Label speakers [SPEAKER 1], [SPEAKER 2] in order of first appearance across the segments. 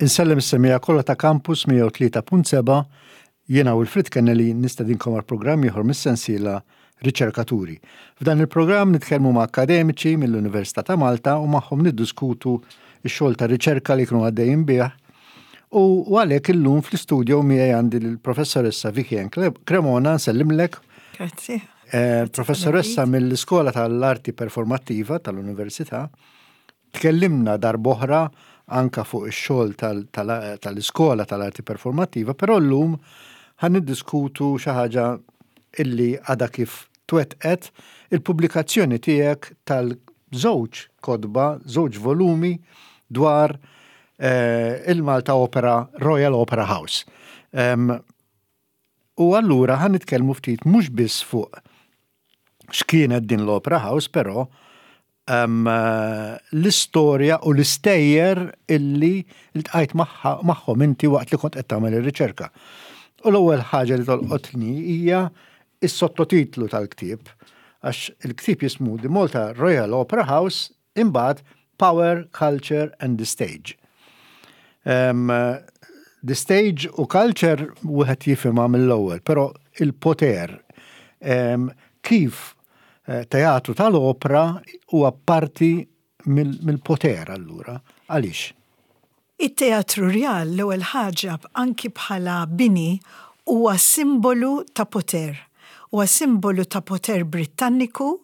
[SPEAKER 1] Insellem is-semmiegħa kollha ta' Campus 103.7, jiena Wilfrid Kennelly nistedinkom għal programm ieħor mis-sensiela Riċerkaturi. F'dan il-programm nitkellmu ma' akkademiċi mill-Università ta' Malta u magħhom niddiskutu x-xogħol ta' riċerka li jkunu għaddejjin bih. U għalhekk illum fl-istudio miegħi għandi l-professoressa Vicky Ann Cremona, nsellimlek.
[SPEAKER 2] Grazzi.
[SPEAKER 1] Eh, professoressa mill-Iskola tal-Arti Performattiva tal-Università. Tkellimna darb'oħra anka fuq ix-xogħol tal-iskola tal-arti performattiva, però llum ħa niddiskutu xi ħaġa illi għadha kif twettqet il-pubblikazzjoni tiegħek tal-żewġ kotba, żewġ volumi dwar eh, il-Malta Opera, Royal Opera House. U allura ħa nitkellmu ftit mhux biss fuq x'kienet din l-Opera House, però l-istorja u l-istejjer illi ltqajt magħhom inti waqt li kont qed tagħmel ir-riċerka. U l-ewwel ħaġa li tolqotni hija is-sottotitlu tal-ktieb, għax il-ktieb jismu The Malta Royal Opera House imbagħad Power, Culture and the Stage. Um, the stage u culture wieħed jifhimha mill-ewwel, però il-poter um, kif eh, teatru tal-opra huwa parti mill-poter allura. Għaliex?
[SPEAKER 2] It-Teatru Rjal l-ewwel ħaġa anki bħala bini huwa simbolu ta' poter. Huwa simbolu ta' poter Brittanniku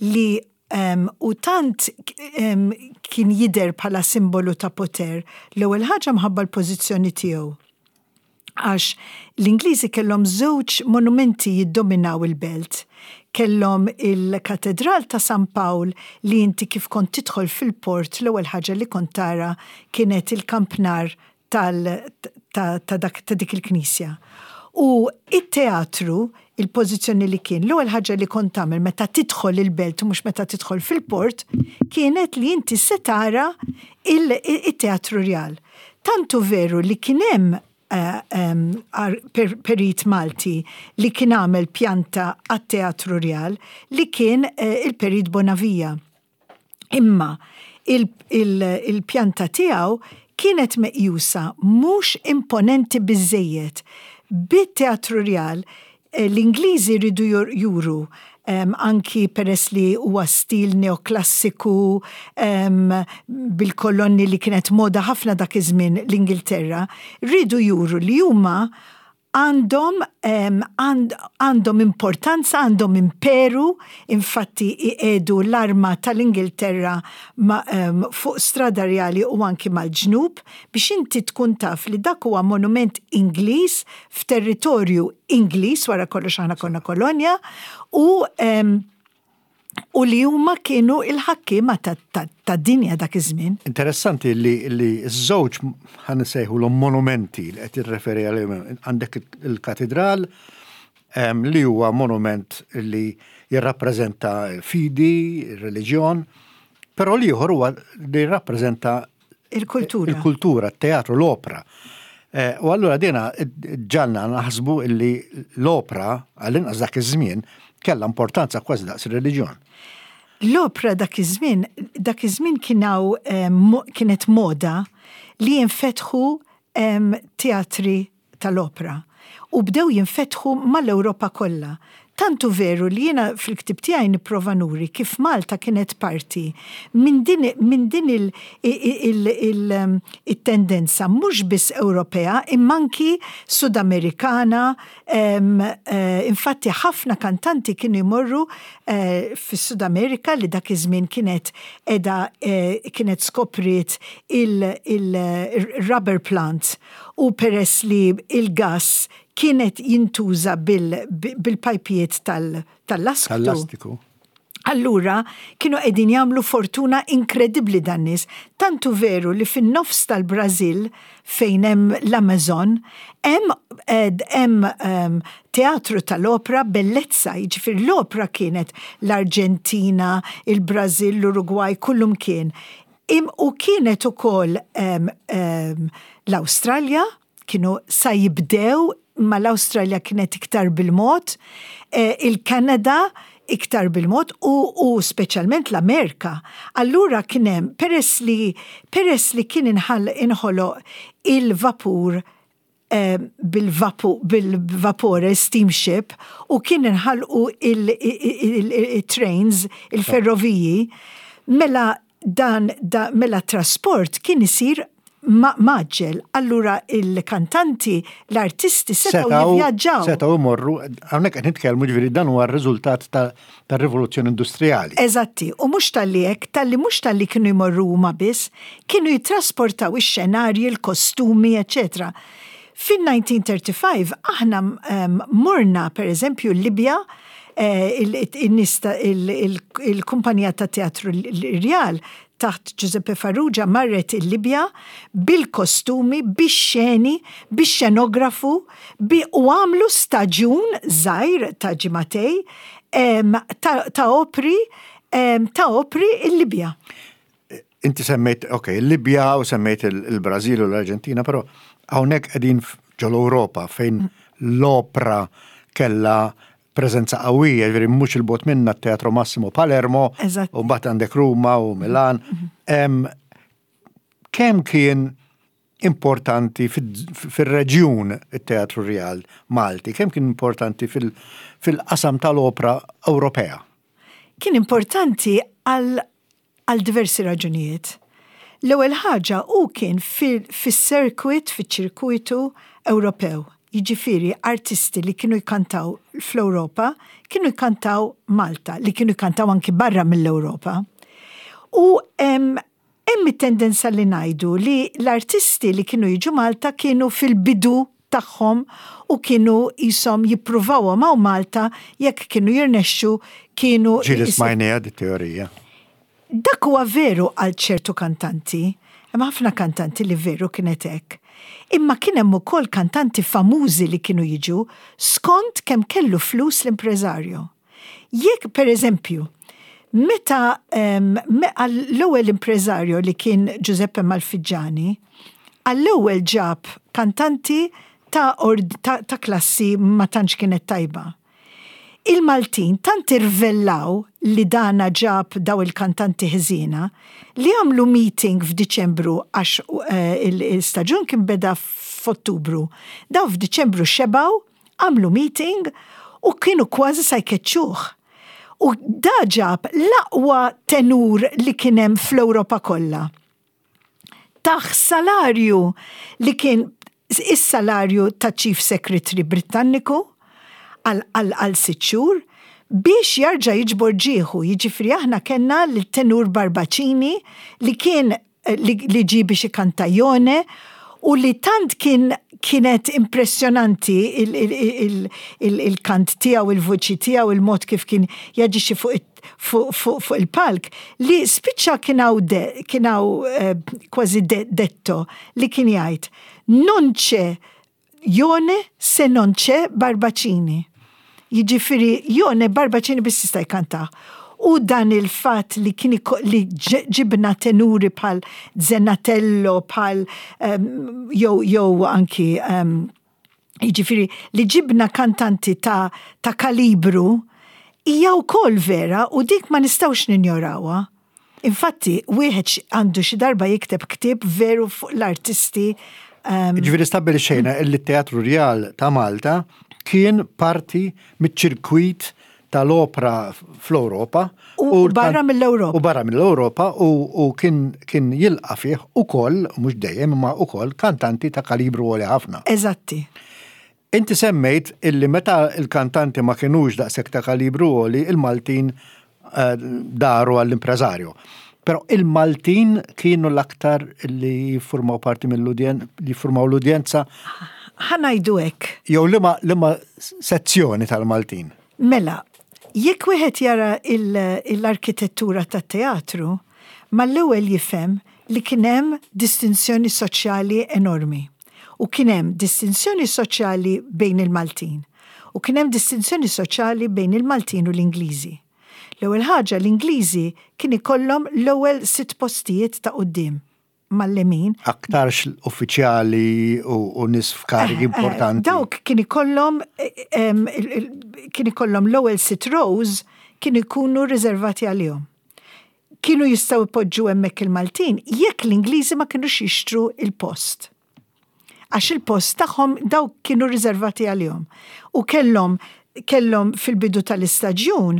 [SPEAKER 2] li u tant kien jidher bħala simbolu ta' poter, l-ewwel ħaġa mħabba l-pożizzjoni tiegħu. Għax l-Ingliżi kellhom żewġ monumenti jiddominaw il-belt. Kellhom il-Katedral ta' San Pawl li inti kif kont tidħol fil-port l-ewwel ħaġa li kont tara kienet il-kampnar tal, ta, ta, dak, ta' dik il-knisja. U it-teatru, il-pożizzjoni li kien, l-ewwel ħaġa li kont tagħmel meta tidħol il-belt u mhux meta tidħol fil-port, kienet li inti se tara il-Teatru Rjal. Tant hu veru li kien hemm eh, perit Malti li kien għamel pjanta għat-Teatru Rjal li kien eh, il-Perit Bonavia. Imma il-pjanta tiegħu kienet meqjusa mhux imponenti biżżejjed. Bit-Teatru Rjal eh, l-Ingliżi ridu juru anki peress li huwa stil neoklassiku bil-kolonni li kienet moda ħafna dak iż-żmien l-Ingilterra, riedu juru li huma għandhom għandhom importanza, għandhom imperu, infatti iqiegħdu l-arma tal-Ingilterra fuq Strada Rjali u anki mal-ġnub biex inti tkun taf li dak huwa monument Ingliż f'territorju Ingliż, wara kollox aħna konna kolonja, u u li huma kienu il-ħakkiema tad-dinja dak iż-żmien.
[SPEAKER 1] Interessanti li li ż-żewġ ħa nsejħulhom monumenti li qed tirreferi għalihom għandek il-katidral li huwa monument li jirrappreżenta fidi, ir-reliġjon, però l-ieħor huwa li jirrappreżenta
[SPEAKER 2] Il-kultura.
[SPEAKER 1] Il-kultura, t-teatru, l-opra. Eh, u allura dina ġalna naħsbu illi l-opra, għall-inqas dak iż-żmien, kellha importanza kważi daqs ir-reliġjon.
[SPEAKER 2] L-opra dak iż-żmien, dak iż-żmien kien eh, kienet moda li jinfetħu teatri tal-opra u bdew jinfetħu mal-Ewropa kollha. Tant hu veru li jiena fil-ktieb tiegħi nipprova nuri kif Malta kienet parti minn din minn din il il it-tendenza mhux biss Ewropea imma anki Sudamerikana infatti ħafna kantanti kienu jmorru fis-Sud Amerika li dak iż-żmien kienet qiegħda kienet skopriet il-rubber plant u peress li il-gass kien qed jintuża bil-pajpijiet tal-lastiku. Allura kienu qegħdin jagħmlu fortuna inkredibbli dan-nies. Tant hu veru li fin-nofs tal-Brażil fejn hemm l-Amazon hemm hemm teatru tal-opra bellezza, jiġifieri l-opra kienet l-Arġentina, il-Brażil, l-Urugwaj, kullumkien. U kienet ukoll l-Awstralja, kienu sa jibdew, imma l-Awstralja kienet iktar bil-mod, il-Kanada, iktar bil-mod u, u speċjalment l-Amerika. Allura kien hemm peress li peress li kien inħall inħoloq il-vapur eh, bil-vapore steamship u kien inħalqu il-trains, il-ferroviji, mela dan da, mela trasport kien isir maġġel. Allura il-kantanti, l-artisti setgħu jivvjaġġaw.
[SPEAKER 1] Setgħu jmorru, hawnhekk qed nitkellmu ġifieri dan huwa r-riżultat tar-rivoluzzjoni industrijali.
[SPEAKER 2] Eżatti, u mhux talli hekk, talli mhux talli kienu jmorru huma biss, kienu jittrasportaw ix-xenarji, il-kostumi, eċċetera. Fin-1935 aħna morna per eżempju l-Libja, il-kumpanija ta' Teatru Rjal taħt Giuseppe Farrugia marret il-Libja bil-kostumi, bix-xeni, bix-xenografu, u għamlu staġun żgħir ta' ġimagħtej ta' opri ta' opri il-Libja.
[SPEAKER 1] Inti semmejt, ok, il-Libja u semmejt il-Brażil u l-Arġentina, però hawnhekk qegħdin ġol-Ewropa fejn l-opra kellha preżenza qawwija, jiġifieri mhux il-bogħod minna t-Teatro Massimo Palermo, u mbagħad għandek Ruma u Milan. Kemm kien importanti fir-reġjun it-Teatru Rjal Malti, kemm kien importanti fil-qasam tal-opra Ewropea?
[SPEAKER 2] Kien importanti għal għal diversi raġunijiet. L-ewwel ħaġa hu kien fis-circuit, fiċ-ċirkuitu Ewropew. Jiġifieri artisti li kienu jkantaw fl-Ewropa kienu jkantaw Malta, li kienu jkantaw anki barra mill-Ewropa. U hemm it-tendenza li ngħidu li l-artisti li kienu jiġu Malta kienu fil-bidu tagħhom u kienu qishom jippruvawhom hawn Malta jekk kienu jirnexxu kienu.
[SPEAKER 1] Ġieli smajniha di teorija.
[SPEAKER 2] Dak huwa veru għal ċertu kantanti. Hemm ħafna kantanti li veru kienet hekk. Imma kien hemm ukoll kantanti famużi li kienu jiġu skont kemm kellu flus l-impreżarju. Jekk, per eżempju, meta għall-ewwel impreżarju li kien Giuseppe Malfiggiani, għall-ewwel ġab kantanti ta', ta, ta klassi ma tantx kienet tajba. Il-Maltin tant irvellaw li dana ġab daw il-kantanti ħżiena li għamlu meeting f'Diċembru għax eh, il-staġun kien beda f'Ottubru. Daw f'Diċembru xebgħu Għamlu meeting u kienu kważi sa jkeċċuh. U da ġab l-aqwa tenur li kien hemm fl-Ewropa kollha. Tah salarju li kien is-salarju ta' Chief Secretary Brittanniku għal sitt xhur biex jarġa' jiġbor ġieħu. Jiġifieri aħna kellna lit-tenur Barbacini li kien li ġie biex ikanta Jone u li tant kien kienet impressjonanti il-kant tiegħu, il-vuċi tiegħu, il-mod kif kien jaġixxi fuq il-palk li spiċċa kien hawn kien hawn eh, kważi detto li kien jgħid non c'è Jone se non c'è Barbacini. Jiġifieri Jone Barbacini biss jista' jkantah. U dan il-fatt li kien li ġibna tenuri bħal Zenatello, bħal jew jew anki jiġifieri li ġibna kantanti ta' ta' kalibru hija wkoll vera u dik ma nistgħux ninjorawha. Infatti, wieħed għandu xi darba jikteb ktieb veru fuq l-artisti.
[SPEAKER 1] Ehm, Ġifieri stabbilixxejna li t-Teatru Rjal ta' Malta kien parti miċ-ċirkwit tal-opra fl-Ewropa.
[SPEAKER 2] U barra mill-Ewropa.
[SPEAKER 1] U barra mill-Ewropa u kien kien jilqa' fih ukoll, mhux dejjem, imma ukoll kantanti ta' kalibru għoli ħafna.
[SPEAKER 2] Eżatti.
[SPEAKER 1] Inti semmejt illi meta l-kantanti ma kinux daqshekk ta' kalibru għoli, il-Maltin eh, daru għall-impreżarju. Però il-Maltin kienu l-aktar li jiffurmaw parti mill-udjen, li jiffurmaw l-udjenza.
[SPEAKER 2] Ħa ngħidu hekk.
[SPEAKER 1] Jew liema liema sezzjoni tal-Maltin?
[SPEAKER 2] Mela, jekk wieħed jara l-arkitettura tat-teatru, mal-ewwel jifhem li kien hemm distinzjoni soċjali enormi. U kien hemm distinzjoni soċjali bejn il-Maltin. U kien hemm distinzjoni soċjali bejn il-Maltin u l-Ingliżi. L-ewwel ħaġa l-Ingliżi kien ikollhom l-ewwel sitt postijiet ta' quddiem mal-lemin.
[SPEAKER 1] Aktarx uffiċjali u nies f'karigi importanti.
[SPEAKER 2] Dawk kien ikollhom kien ikollhom l-ewwel sitt rows. kienu jkunu riservati għalihom. Kienu jistgħu jpoġġu hemmhekk il-Maltin jekk l-Ingliżi ma kinux jixtru il-post. Għax il-post tagħhom dawk kienu riservati għalihom. U kellhom kellhom fil-bidu tal-istaġjun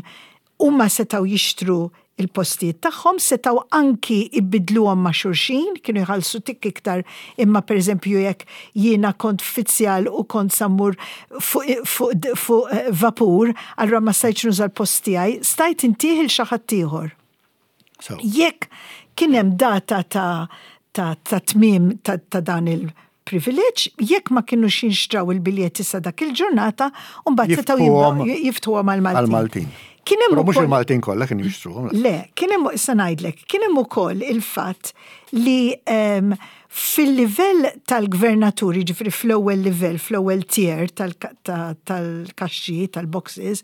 [SPEAKER 2] huma setgħu jixtru il-postijiet tagħhom, setgħu anki ibidluhom ma' xulxin, kienu jħallsu tik iktar imma pereżempju jekk jiena kont uffiċjal u kont sa mmur fuq fu, fu vapur, allura ma stajtx nuża l-post tiegħi, stajt intih lil xi ħadd ieħor.
[SPEAKER 1] So,
[SPEAKER 2] Jekk kien hemm data ta' ta' ta' tmiem ta', ta dan il-privileġġ, jekk ma kienux jinxtraw il-biljetti sa dak il-ġurnata, u mbagħad setgħu
[SPEAKER 1] Jiftħuhom
[SPEAKER 2] jiftuhom għal-Maltin.
[SPEAKER 1] għal-Maltin.
[SPEAKER 2] Kien hemm
[SPEAKER 1] Però mhux
[SPEAKER 2] ukoll-
[SPEAKER 1] il-Maltin kollha kienu jixtruhom.
[SPEAKER 2] Le, kien hemm issa ngħidlek, kien hemm ukoll il-fatt li fil-livell tal-gvernatur, jiġifieri fl-ewwel livell, fl-ewwel tier tal-kaxxi, tal-boxes,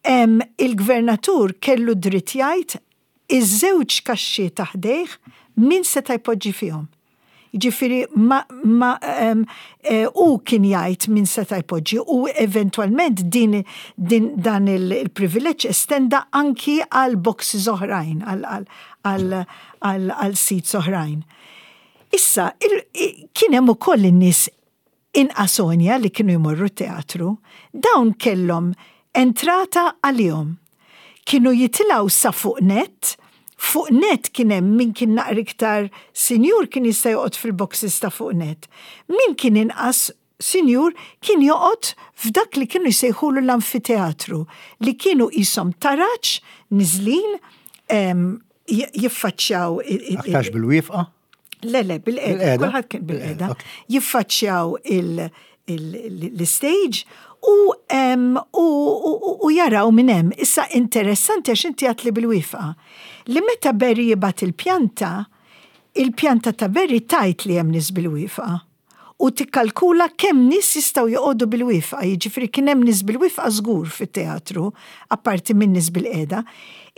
[SPEAKER 2] il-gvernatur kellu dritt jgħid iż-żewġ kaxxi ta' ħdejh min seta' jpoġġi fihom. Ġifieri ma, ma u kien jgħid min seta' jpoġġi u eventwalment din, din dan il-privileġġ estenda anki għal boxes oħrajn, għal seats oħrajn. Issa, kien hemm ukoll in-nies inqas għonja li kienu jmorru teatru, dawn kellhom entrata għalihom. Kienu jitilgħu sa fuq net, fuq net kien hemm min kien naqra iktar sinjur kien jista' joqgħod fil-boxes ta' fuq net. Min kien inqas sinjur kien joqgħod f'dak li kienu jsejħulu l-amfiteatru, li kienu qishom taraġ niżlin jiffaċċjaw
[SPEAKER 1] Aktarx bil-wieqfa?
[SPEAKER 2] Le, le, bil-qeda.
[SPEAKER 1] Bil-qeda?
[SPEAKER 2] Kulħadd kien bil-qeda.
[SPEAKER 1] Ok.
[SPEAKER 2] Jiffaċċjaw l-stage u jaraw minn hemm. Issa interessanti għax inti għedt li bil-wieqfa. Li meta Berry jibgħat il-pjanta, il-pjanta ta' Berry tgħid li hemm nies bil-wieqfa. U tikkalkula kemm nies jistgħu joqogħdu bil-wieqfa, jiġifieri kien hemm nies bil-wieqfa żgur fit-teatru, apparti minn nies bil-qeda.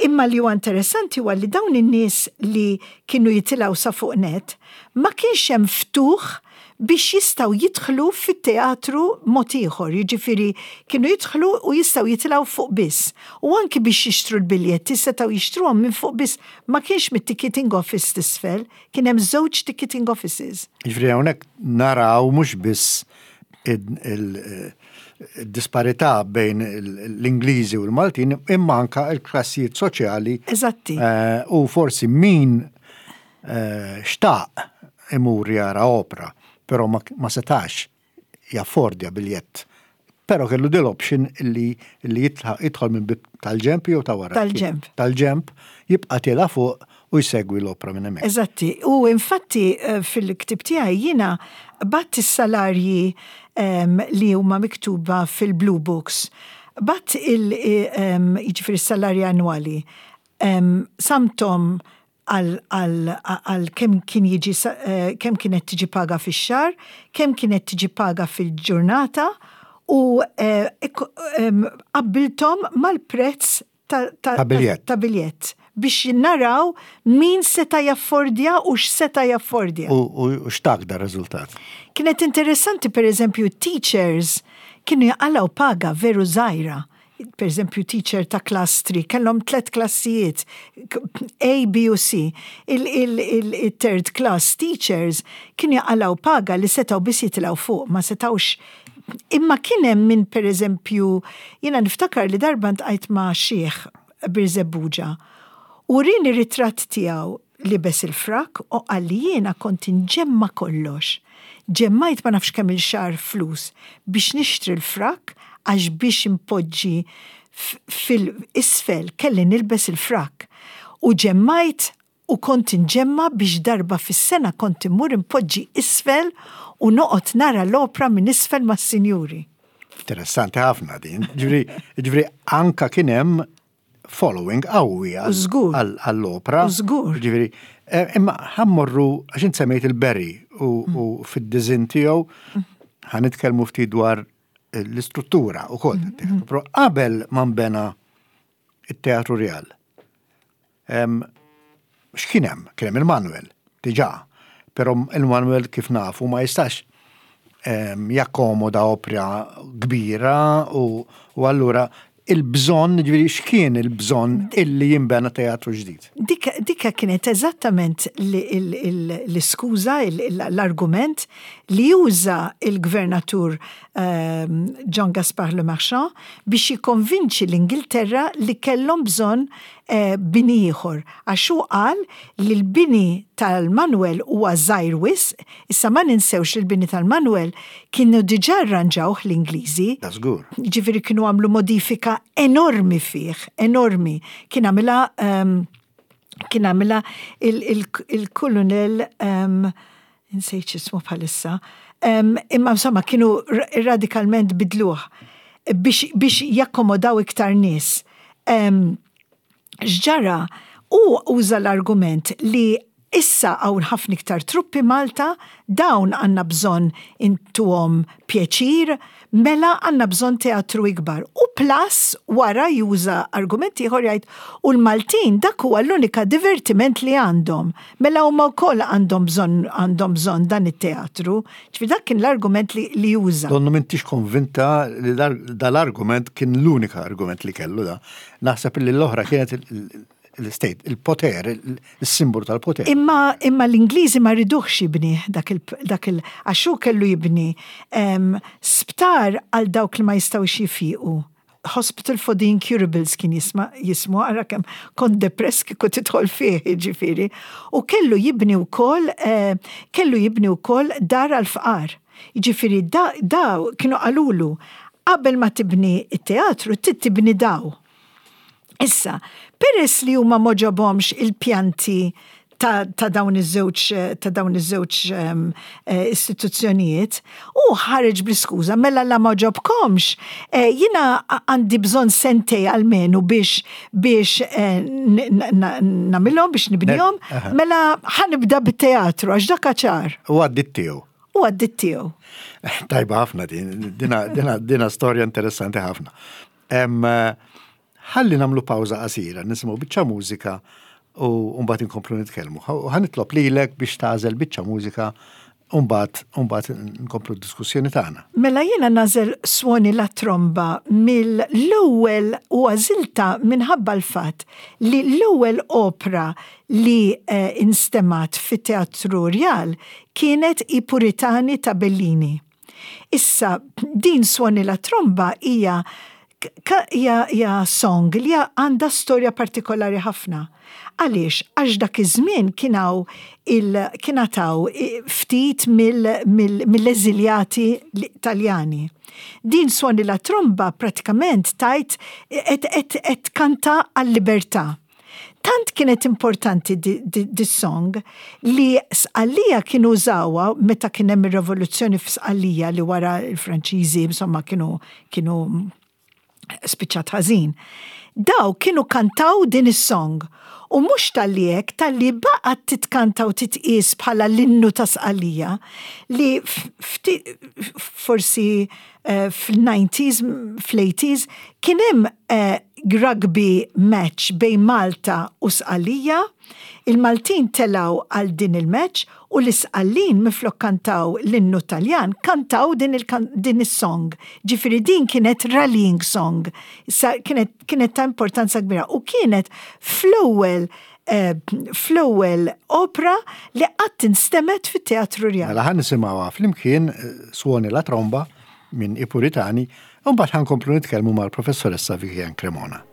[SPEAKER 2] Imma li huwa interessanti huwa li dawn in-nies li kienu jitilgħu sa fuq net, ma kienx hemm ftuħ biex jistgħu jidħlu fit-teatru mod ieħor, jiġifieri kienu jidħlu u jistgħu jitilgħu fuq biss. U anki biex jixtru l-biljetti setgħu jixtruhom minn fuq biss, ma kienx mit-ticketing office t'isfel, kien hemm żewġ ticketing offices.
[SPEAKER 1] Ġifieri hawnhekk naraw mhux biss il-disparità bejn l-Ingliżi u l-Maltin, imma anka il-klassijiet soċjali. U forsi min xtaq imur jara opra, però ma setax jaffordja biljett. Però kellu dil option li jidħol minn bib tal-ġemp jew ta' wara.
[SPEAKER 2] Tal-ġemp.
[SPEAKER 1] Tal-ġemp, jibqa' tiela' fuq u jsegwi l-opra minn hemmhekk.
[SPEAKER 2] Eżatti. U infatti fil-ktib tiegħi jiena qbadt is-salarji li huma miktuba fil-Blue Books. Qbadt jiġifieri s-salarji annwali. Qsamthom għal kemm kien jiġi kemm kienet tiġi paga fix-xahar, kemm kienet tiġi paga fil-ġurnata u qabbilthom mal-prezz
[SPEAKER 1] Ta' biljett.
[SPEAKER 2] ta' biljett biex naraw min seta' jaffordja u x'seta' jaffordja.
[SPEAKER 1] U x'tak da riżultat?
[SPEAKER 2] Kienet interessanti, per eżempju, teachers kienu jaqalgħu paga veru żgħira. Per eżempju, teacher ta' class 3, kellhom tlet klassijiet, A, B u C. Il-third class teachers kienu jaqalgħu paga li setgħu biss jitilgħu fuq, ma setgħux. Imma kien hemm min, per eżempju, jiena niftakar li darba ltqajt ma' xiħ Birżebbuġa. U wrieni ritratt tiegħu libes il-frak u qalli jiena kont inġemma kollox. Ġemmajt ma nafx kemm il-xahar flus biex nixtri l-frak għax biex impoġġi fil-isfel kelli nilbes il-frak. U ġemmajt u kont inġemma biex darba fis-sena kont immur impoġġi isfel u noqgħod nara l-opra minn isfel mas-sinjuri.
[SPEAKER 1] Interessanti ħafna din. Ġifieri anka kien hemm following qawwi għall-opra.
[SPEAKER 2] Żgur.
[SPEAKER 1] Ġifieri, imma ħa mmorru għax int semmejt il-Berry u fid-disinn tiegħu ħa nitkellmu ftit dwar l-istruttura u koll. Però qabel ma nbena it-Teatru Real. X'kien hemm? Kien hemm il-Manuel, diġà. Però il-Manuel kif nafu ma jistax jakkomoda opra kbira u allura il-bżonn, ġifieri x'kien il-bżonn illi jinbena teatru ġdid?
[SPEAKER 2] Dika kienet eżattament l-iskuża, l-argument li juża il-gvernatur Jean Gaspard Le Marchand biex jikkonvinċi l-Ingilterra li kellhom bżonn bini ieħor għax hu qal li l-bini tal-Manuel huwa żgħir wisq, issa ma ninsewx li l-bini tal-Manuel kienu diġà rranġawh l-Ingliżi.
[SPEAKER 1] Da żgur.
[SPEAKER 2] Jiġifieri kienu għamlu modifika enormi fih, enormi. Kien għamilha kien għamilha il-kulunell insejt x'ismu bħalissa, imma insomma kienu radikalment bidluh biex jakkomodaw iktar nies. X'ġara, hu uża l-argument li issa hawn ħafna iktar truppi Malta, dawn għandna bżonn intuhom pjaċir, mela għandna bżonn teatru ikbar. U plus wara juża argument ieħor jgħid u l-Maltin dak huwa l-unika divertiment li għandhom. Mela huma wkoll għandhom bżonn għandhom bżonn dan it-teatru. Ġifieri dak kien l-argument li, li juża.
[SPEAKER 1] Donnu m'intix konvinta li dal-argument kien l-unika argument li kellu da. Naħseb li l-oħra kienet l-state, il-poter, il-simbolu tal-poter.
[SPEAKER 2] Imma, imma l-Ingliżi ma riduhx jibni dak il, dak il, għax hu kellu jibni sptar għal dawk li ma jistgħux jifiequ. Hospital for the Incurables kien jisma, jismu, ara kemm kont depress kieku tidħol fih, jiġifieri. U kellu jibni wkoll, eh, kellu jibni wkoll dar għall-fqar. Jiġifieri da, daw kienu qalulu qabel ma tibni t-teatru trid tibni daw. Issa, peress li huma m'għoġobhomx il-pjanti ta', ta dawn iż-żewġ ta' dawn iż-żewġ um, istituzzjonijiet, u ħareġ bl-iskuża mela la m'għoġobkomx, eh, jiena għandi bżonn sentej almenu biex biex eh, nagħmilhom biex nibnihom, mela ħanibda bit-teatru għax dak ċar.
[SPEAKER 1] U għaddit tiegħu.
[SPEAKER 2] U għaddit tiegħu.
[SPEAKER 1] Tajba ħafna din, dina, dina, dina storja interessanti ħafna. Ħalli nagħmlu pawża qasira, nisimgħu biċċa mużika u mbagħad inkomplu nitkellmu. U ħa nitlob lilek biex tagħżel biċċa mużika u mbagħad mbagħad nkomplu d-diskussjoni tagħna.
[SPEAKER 2] Mela jiena nagħżel Suoni la tromba mill-ewwel u għażiltha minħabba l-fatt li l-ewwel opra li eh, instemgħet fit-Teatru Rjal kienet I Puritani ta' Bellini. Issa, din Suoni la Tromba hija hija song li għandha storja partikolari ħafna. Għaliex? Għax dak iż-żmien kien hawn il kien għataw ftit mill-eżiljati Taljani. Din Suoni la Tromba pratikament tgħid qed tkanta għal-libertà. Tant kienet importanti dis-song li Sqallija kienu użawha meta kien hemm ir-revoluzzjoni f'Sqallija li wara l-Franċiżi insomma kienu kienu spiċċat ħażin. Daw kienu kantaw din is-song u mhux talli hekk talli baqgħet titkanta u titqies bħala l-innu ta' Sqallija li forsi fl-90s, fl-80s, kien hemm rugby match bejn Malta u Sqallija, il-Maltin telgħu għal din il-match u l-Isqallin minflok kantaw l-innu Taljan kantaw din din is-song. Ġifieri din kienet rallying song. Issa kienet kienet ta' importanza kbira u kienet fl-ewwel fl-ewwel opra li qatt instemgħet fit-Teatru Rjal.
[SPEAKER 1] Mela ħa nisimgħuha flimkien Suoni la tromba minn I Puritani u mbagħad ħa nkomplu nitkellmu mal-Professoressa Vivian Cremona.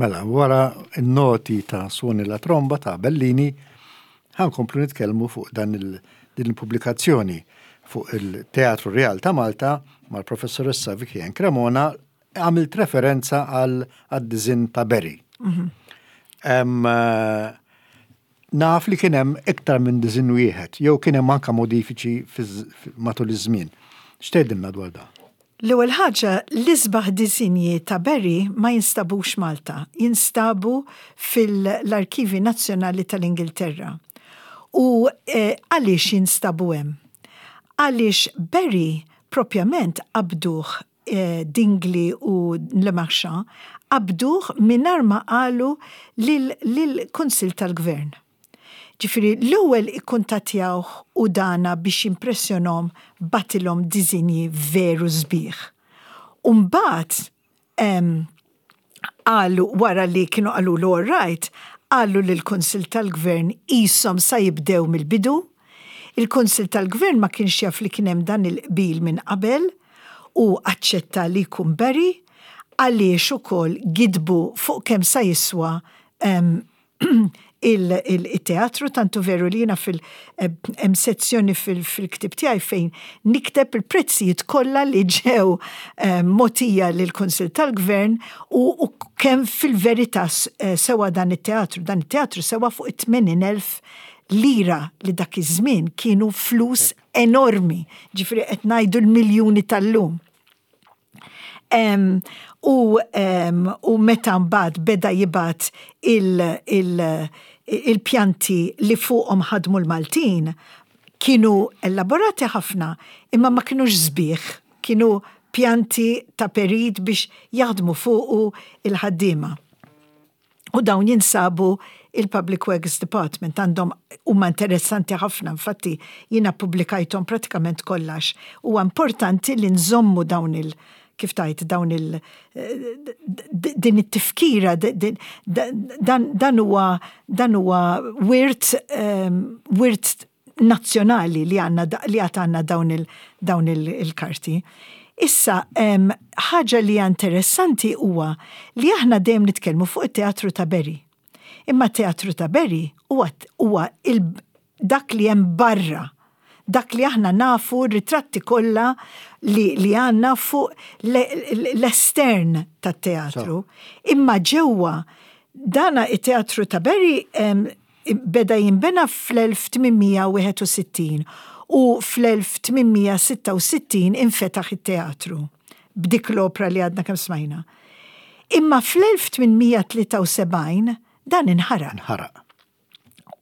[SPEAKER 1] Mela, wara n-noti ta' Suoni la Tromba ta' Bellini, ħa nkomplu nitkellmu fuq dan il din il-pubblikazzjoni fuq il-Teatru Rjal ta' Malta mal-Professoressa Vicky Ann Cremona għamilt referenza għal għad-diżinn ta' Berry. Mm -hmm. Naf li kien hemm iktar minn diżinn wieħed, jew kien hemm anke modifiċi matul iż-żmien. X'tgħidilna dwar dan?
[SPEAKER 2] L-ewwel ħaġa, l-isbaħ disinji ta' Berry ma jinstabux Malta, jinstabu fil-Arkivi Nazzjonali tal-Ingilterra. U għaliex jinstabu hemm? Għaliex Berry propjament qabduh Dingley u Le Marchand qabduh mingħajr ma qalu lill-Kunsill tal-Gvern. Ġifieri l-ewwel ikkuntattjawh u dana biex jimpressjonhom bagħtilhom disinji veru sbieħ. U mbagħad qalu wara li kienu qalulu all right, qalu lill-Kunsill tal-Gvern qishom sa jibdew mill-bidu. Il-Kunsill tal-Gvern ma kienx jaf li kien hemm dan il-qbil minn qabel u aċċetta li jkun Barry għaliex ukoll gidbu fuq kemm sa jiswa il-teatru tant hu veru li jiena fil hemm sezzjoni fil-ktieb tiegħi fejn nikteb il-prezzijiet kollha li ġew mogħtija lill-Kunsill tal-Gvern u kemm fil-verità sewa dan it-teatru. Dan it-teatru sewa fuq it-80,000 lira li dak iż-żmien kienu flus enormi, ġifieri qed ngħidu l-miljuni tal-lum. U, u meta mbagħad beda jibgħat il-pjanti li fuqhom ħadmu l-Maltin, kienu elaborati ħafna, imma ma kinux sbieħ, kienu pjanti ta' perit biex jaħdmu fuqu il-ħaddiema. U dawn jinsabu il-Public Works Department għandhom huma interessanti ħafna, infatti jiena ppubblikajthom pratikament kollha għax huwa importanti li nżommu dawn il kif tgħid dawn il din it-tifkira dan dan huwa dan huwa wirt wirt nazzjonali li għandna li għad għandna dawn il dawn il-karti. Issa, ħaġa li hija interessanti huwa li aħna dejjem nitkellmu fuq it-teatru ta' Berry. Imma t-teatru ta' Berry huwa huwa il dak li hemm barra, dak li aħna nafu r-ritratti kollha li li għandna fuq l-estern tat-teatru. Imma ġewwa dana it-teatru ta' Berry Beda jinbena fl-1861 u fl-1866 infetaħ it-teatru b'dik l-opra li għadna kemm smajna. Imma fl-1873 dan inħaraq.
[SPEAKER 1] Inħaraq.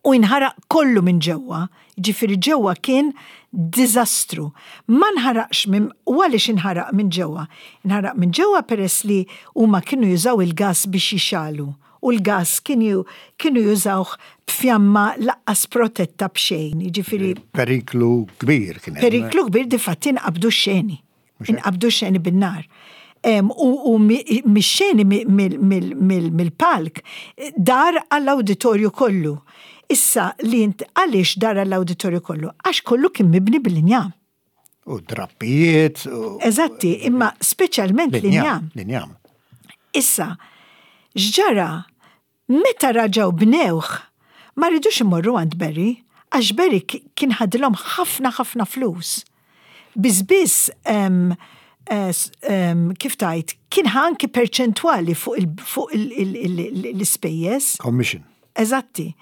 [SPEAKER 2] U inħaraq kollu minn ġewwa, jiġifieri ġewwa kien diżastru. Ma nħaraqx minn u għaliex inħaraq minn ġewwa? Inħaraq minn ġewwa peress li huma kienu jużaw il-gass biex jixgħalu u l-gass kienu kienu jużawh b'fjamma laqqas protetta b'xejn, jiġifieri.
[SPEAKER 1] Periklu kbir kien
[SPEAKER 2] hemm. Periklu kbir difatti nqabdu x-xeni. Inqabdu x-xeni bin-nar. U u mix-xeni mill-palk dar għall-awditorju kollu. Issa li għaliex dar għall-awditorju kollu? Għax kollu kien mibni bil-injam.
[SPEAKER 1] U drappijiet.
[SPEAKER 2] Eżatti, imma speċjalment l-injam.
[SPEAKER 1] L-injam.
[SPEAKER 2] Issa, x'ġara meta raġgħu bnewh, ma ridux imorru għand Barry, għax Barry kien ħadilhom ħafna ħafna flus. Biss biss kif tgħid, kien ħa anki perċentwali fuq l-ispejjeż.
[SPEAKER 1] Commission.
[SPEAKER 2] Eżatti.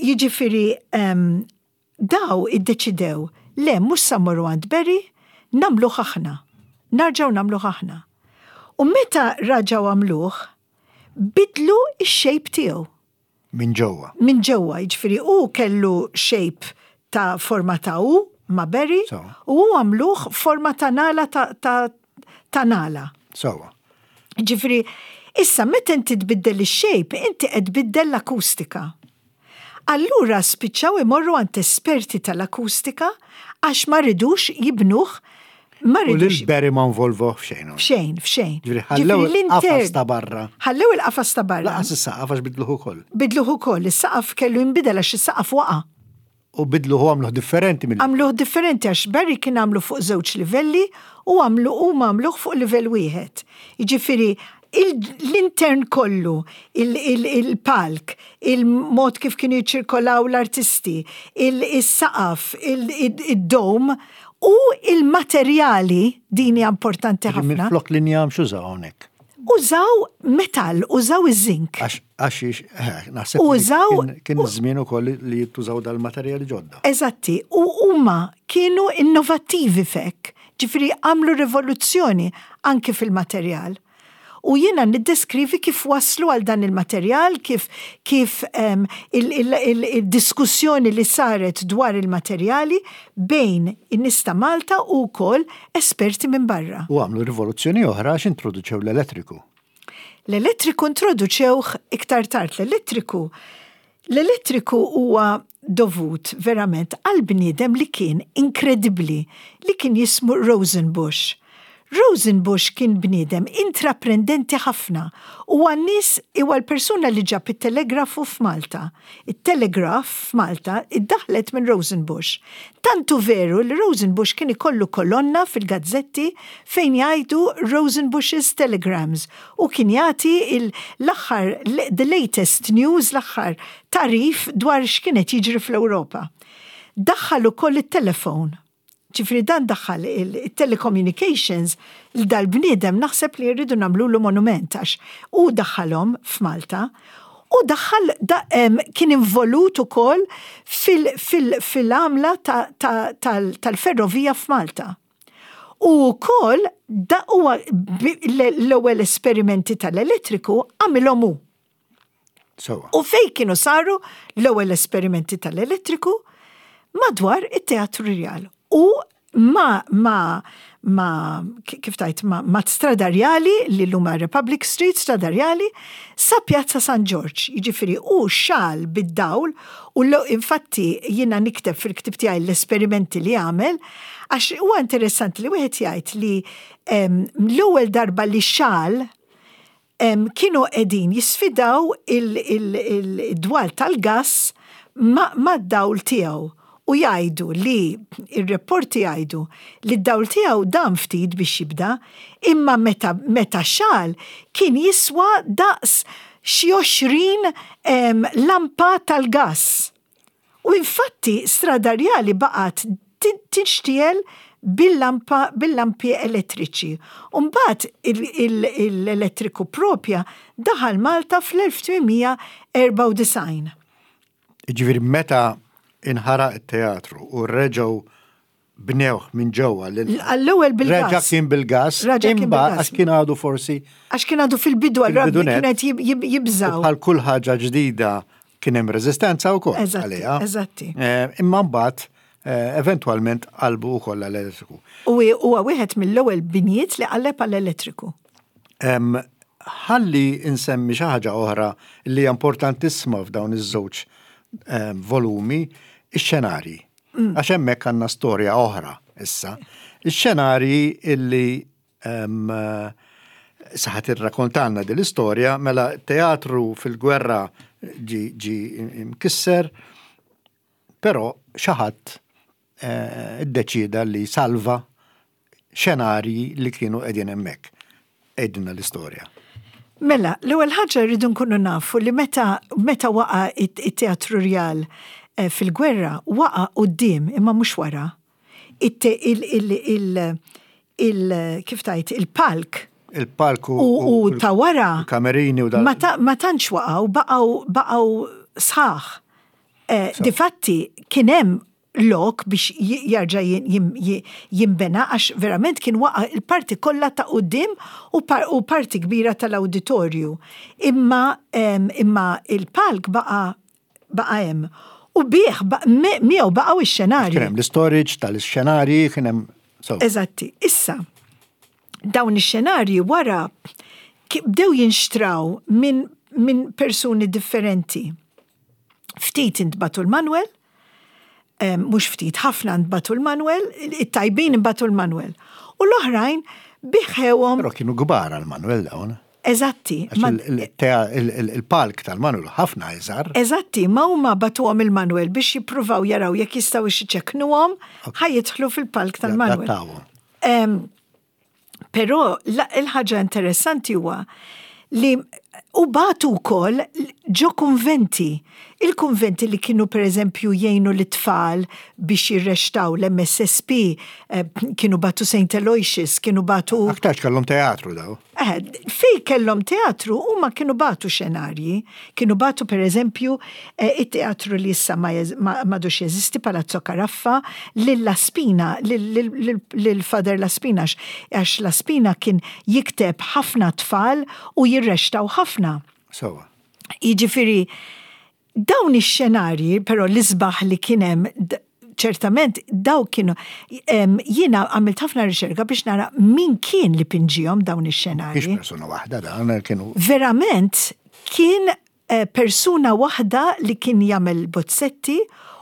[SPEAKER 2] Jiġifieri Daw iddeċidew, le mhux sa mmorru għand Barry, nagħmluh aħna. Narġgħu nagħmluh aħna. U meta raġgħu għamluh, bidlu x-shape tiegħu.
[SPEAKER 1] Minn ġewwa.
[SPEAKER 2] Minn ġewwa, jiġifieri hu kellu shape ta' forma ta' U ma' Barry u hu għamluh forma ta' nagħla ta' nagħla.
[SPEAKER 1] Sewwa.
[SPEAKER 2] Jiġifieri, issa meta inti tbiddel ix-shape, inti qed tbiddel l-akustika. Allura spiċċaw imorru għand esperti tal-akustika għax ma ridux jibnuh
[SPEAKER 1] ma ridux. U lil Barry ma nvolvuh f'xejn.
[SPEAKER 2] F'xejn, f'xejn.
[SPEAKER 1] Ġifieri ħallew il-qafas ta' barra.
[SPEAKER 2] Ħallew il-qafas ta' barra.
[SPEAKER 1] Lanqas is-saqaf għax bidluh ukoll.
[SPEAKER 2] Bidluh ukoll, is-saqaf kellu jinbidel għax is-saqaf waqa'.
[SPEAKER 1] U bidluh u għamluh differenti
[SPEAKER 2] mill. Għamluh differenti għax Barry kien għamlu fuq żewġ livelli u għamlu huma għamluh fuq livell wieħed. Jiġifieri L-intern kollu, il-palk, il-mod kif kienu jiċċirkolaw l-artisti, is-saqaf, id-dome u il-materjali, din hija importanti ħafna.
[SPEAKER 1] Minflok l-injam x'użaw hawnhekk?
[SPEAKER 2] Użaw metall, użaw iż-żink.
[SPEAKER 1] Għax eh, naħseb użaw kien iż-żmien ukoll li jittużaw dal-materjali ġodda.
[SPEAKER 2] Eżatti, u huma kienu innovattivi fek, ġifieri għamlu rivoluzzjoni anki fil-materjal. U jiena niddeskrivi kif waslu għal dan il-materjal, kif kif il-diskussjoni li saret dwar il-materjali bejn in-nies ta' Malta u wkoll esperti minn barra.
[SPEAKER 1] U għamlu rivoluzzjoni oħra għax introduċew l-elettriku.
[SPEAKER 2] L-elettriku introduċewh iktar tard. L-elettriku L-elettriku huwa dovut verament għal bniedem li kien inkredibbli li kien jismu Rosenbusch. Rosenbusch kien bniedem intraprendenti ħafna u għan-nies huwa l-persuna li ġab it-telegrafu f'Malta. It-telegraph f'Malta iddaħħlet minn Rosenbusch. Tant hu veru li Rosenbusch kien ikollu kolonna fil-gazzetti fejn jgħidu Rosenbusch's Telegrams u kien jagħti l-aħħar the latest news, l-aħħar tagħrif dwar x'kien qed jiġri fl-Ewropa. Daħħal ukoll it-telefon. Ġifieri dan daħħal it-telecommunications li dal-bniedem naħseb li rridu nagħmlulu monument għax hu daħħalhom f'Malta u daħħal kien involut ukoll fil-għamla tal-ferrovija f'Malta. U wkoll huwa l-ewwel esperimenti tal-elettriku għamilhom hu. U fejn kienu saru l-ewwel esperimenti tal-elettriku? Madwar it-Teatru Rjal. U ma, ma, ma, kif tajt, ma, ma Strada Rjali, li l Republic Street, Strada Rjali, sa Pjazza San Ġorġ. Jiġifieri u xal bid-dawl u infatti jiena nikteb fil-ktib tiegħi l-esperimenti li għamel, għax huwa interessanti li wieħed jgħid li l-ewwel darba li xal kienu qegħdin jisfidaw il-dwal tal-gass mad-dawl tiegħu u jgħidu li ir-rapporti jgħidu li d-dawl tiegħu dam ftit biex jibda, imma meta meta xagħal kien jiswa daqs xi 20 lampa tal-gass. U infatti Strada Rjali baqgħet tinxtiegħel bil-lampa bil-lampi elettriċi. U mbagħad l-elettriku propja daħal Malta fl-1894.
[SPEAKER 1] Jiġifieri meta inħaraq it-teatru u reġgħu bnewh minn ġewwa
[SPEAKER 2] lil. Għall-ewwel bil-gas.
[SPEAKER 1] Reġa' kien bil-gas.
[SPEAKER 2] Reġa' kien bil-gas.
[SPEAKER 1] Għax kien għadu forsi.
[SPEAKER 2] Għax kien għadu fil-bidu għal rabbi kienet jibżaw.
[SPEAKER 1] Bħal kull ħaġa ġdida kien hemm reżistenza wkoll.
[SPEAKER 2] Eżatti. Eżatti.
[SPEAKER 1] Eh, imma mbagħad eh, eventwalment qalbu wkoll għall-elettriku.
[SPEAKER 2] U huwa wieħed mill-ewwel binjiet li qalleb għall-elettriku.
[SPEAKER 1] Ħalli insemmi xi ħaġa oħra li hija importantissima f'dawn iż-żewġ volumi, ix-xenarji. Għax hemmhekk għandna storja oħra issa. Ix-xenarji illi saħat irrakontanna din l-istorja mela teatru fil-gwerra ġi mkisser, però xi ħadd eh, iddeċieda li salva xenarji li kienu qegħdin hemmhekk. Għidilna l-istorja.
[SPEAKER 2] Mela, l-ewwel ħaġa rridu nkunu nafu li meta meta waqa' it-Teatru Rjal eh, fil-gwerra, waqa' quddiem imma mhux wara. Il, il, kif tajt, il-palk
[SPEAKER 1] Il-palk
[SPEAKER 2] u ta' wara.
[SPEAKER 1] Kamerini u
[SPEAKER 2] dan. Ma tantx waqgħu, baqgħu baqgħu sħaħ. Eh, difatti kien hemm lok biex jarġa' jinbena għax verament kien waqa' il-parti kollha ta' quddiem u parti kbira tal-awditorju. Imma imma il-palk baqa' baqa' hemm. U bih miegħu baqgħu x-xenarji.
[SPEAKER 1] Kien hemm l-istorage tal-xenarji, kien hemm.
[SPEAKER 2] Eżatti. Issa, dawn ix-xenarji wara bdew jinxtraw minn min persuni differenti. Ftit intbagħtu l-Manwel, mhux ftit, ħafna ntbagħtu l-Manwel, it-tajbin inbagħtu l-Manwel. U l-oħrajn biħewhom.
[SPEAKER 1] Però kienu kbar għall-Manwel dawn.
[SPEAKER 2] Eżatti.
[SPEAKER 1] Il-palk tal-Manwel ħafna iżgħar.
[SPEAKER 2] Eżatti, ma huma bagħtuhom il-Manwel biex jippruvaw jaraw jekk jistgħux iċekknuhom ħa jidħlu fil-palk tal-Manwel. Però il-ħaġa interessanti huwa li u bagħtu wkoll ġo kunventi. Il-kunventi li kienu pereżempju jgħinu lit-tfal biex jirrextaw l-MSSP, eh, kienu bagħtu St. Aloysius, kienu bagħtu.
[SPEAKER 1] Aktarx kellhom teatru daw.
[SPEAKER 2] Eh, fej kellhom teatru huma kienu bagħtu xenarji, kienu bagħtu pereżempju eh, it-teatru li issa m'għadux jeżisti Palazzo Caraffa lil La Spina, lil Father La Spina għax La Spina kien jikteb ħafna tfal u jirrextaw ħafna.
[SPEAKER 1] Sewa.
[SPEAKER 2] Jiġifieri Dawn ix-xenarji, però l-isbaħ li kien hemm ċertament daw kienu jiena għamilt ħafna riċerka biex nara min kien li pinġihom dawn ix-xenarji.
[SPEAKER 1] Mhix persuna waħda dan kienu.
[SPEAKER 2] Verament kien eh, persuna waħda li kien jagħmel bozzetti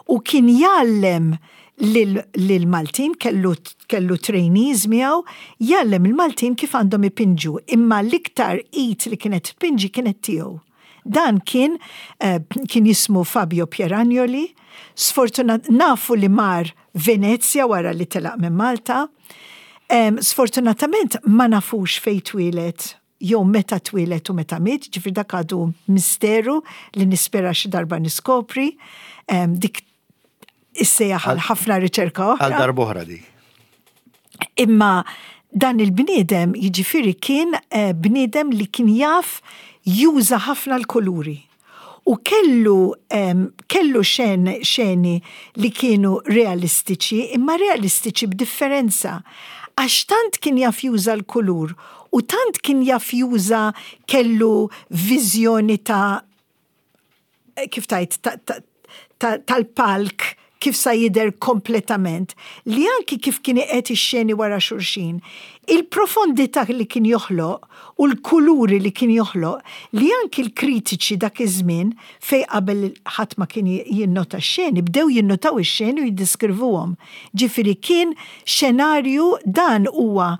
[SPEAKER 2] u kien jgħallem lill-Maltin kellu kellu trainees miegħu jgħallem il-Maltin kif għandhom ipinġu imma l-iktar id li kienet tpinġi kienet tiegħu. Dan kien kien jismu Fabio Pieragnoli, sfortunat nafu li mar Venezja wara li telaq minn Malta. Sfortunatament ma nafux fejn twieled jew meta twieled u meta miet, ġifieri dak għadu misteru li nispera xi darba niskopri. Dik issejjaħ għal ħafna riċerka oħra.
[SPEAKER 1] Għal darb'oħra dik.
[SPEAKER 2] Imma dan il-bniedem jiġifieri kien eh, bniedem li kien jaf juża ħafna l-kuluri. U kellu, kellu xen, xeni li kienu realistiċi, imma realistiċi b'differenza. Għax tant kien jaf juża l-kulur u tant kien jaf juża kellu viżjoni ta' kif tajt, tal-palk kif sa jidher kompletament, li anki kif kien iqiegħed ix-xeni wara xulxin, il-profondità li kien joħloq u l-kuluri li kien joħloq, li anki l-kritiċi dak iż-żmien, fejn qabel ħadd ma kien jinnota x-xeni, bdew jinnotaw ix-xeni u jiddiskrivuhom. Ġifieri kien xenarju dan huwa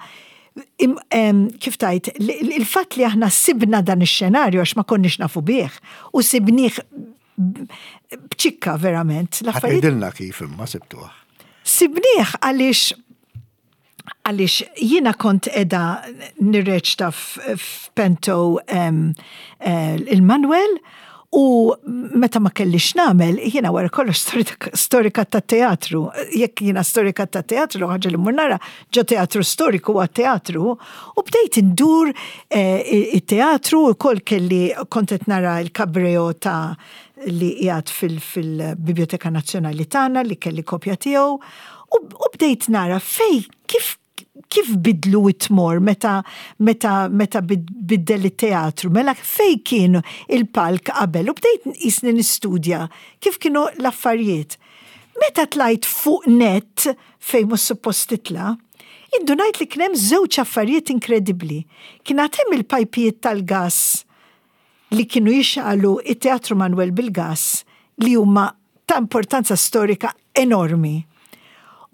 [SPEAKER 2] kif tajt, il-fatt li aħna sibna dan ix-xenarju għax ma konniex nafu bih u sibnieh b'ċikka verament.
[SPEAKER 1] Għidilna kif imma sibtuh.
[SPEAKER 2] Sibnieh għaliex għaliex jiena kont edha nirreċta f'Pento eh, il-Manuel U meta ma kellix nagħmel, jiena wara kollox storika ta' teatru. Jekk jiena storika ta' teatru, ħaġa li mmur nara ġo teatru storiku għat teatru, u bdejt indur eh, it-teatru u kol kelli kont qed nara l-kabreo ta' li qiegħed fil-Biblioteka Nazzjonali tagħna li kelli kopja tiegħu u bdejt nara fej kif kif bidlu it-tmor meta meta meta biddel it-teatru, mela fej kien il-palk qabel u bdejt jisni nistudja kif kienu l-affarijiet. Meta tlajt fuq net fejn mhux suppost titla', indunajt li kien hemm żewġ affarijiet inkredibbli. Kien għad hemm il-pajpijiet tal-gass li kienu jixgħalu it-Teatru Manuel bil-gass li huma ta' importanza storika enormi.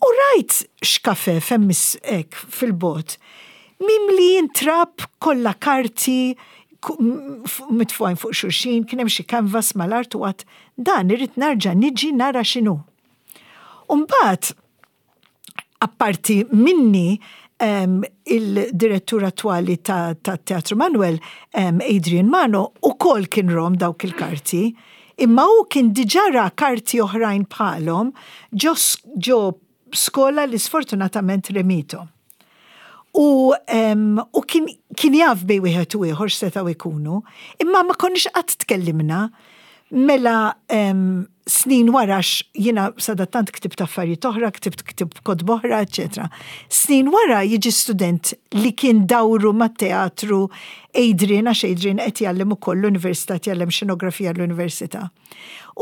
[SPEAKER 2] U rajt xkafef hemm hekk fil-bogħod, mimlijin trab kollha karti mitfugħin fuq xulxin, kien hemm xi canvas mal-art u għadt dan irrid narġa' niġi nara x'inhu. U mbagħad Apparti minni, il-direttur attwali ta' Teatru Manuel, Adrian Mano, ukoll kien rom dawk il-karti. Imma hu kien diġà ra karti oħrajn bħalhom ġo skola li sfortunatament remithom. U, u kien, kien jaf bej wieħed u ieħor x'setgħu jkunu, imma ma konniex qatt tkellimna. Mela snin wara għax jiena sadattant ktibt affarijiet oħra, ktibt ktib kotba oħra, eċċetera. Snin wara jiġi student li kien dawru mat-teatru Adrian, għax Adrian qed jgħallem ukoll l-università, qed jgħallem xenografija l-università.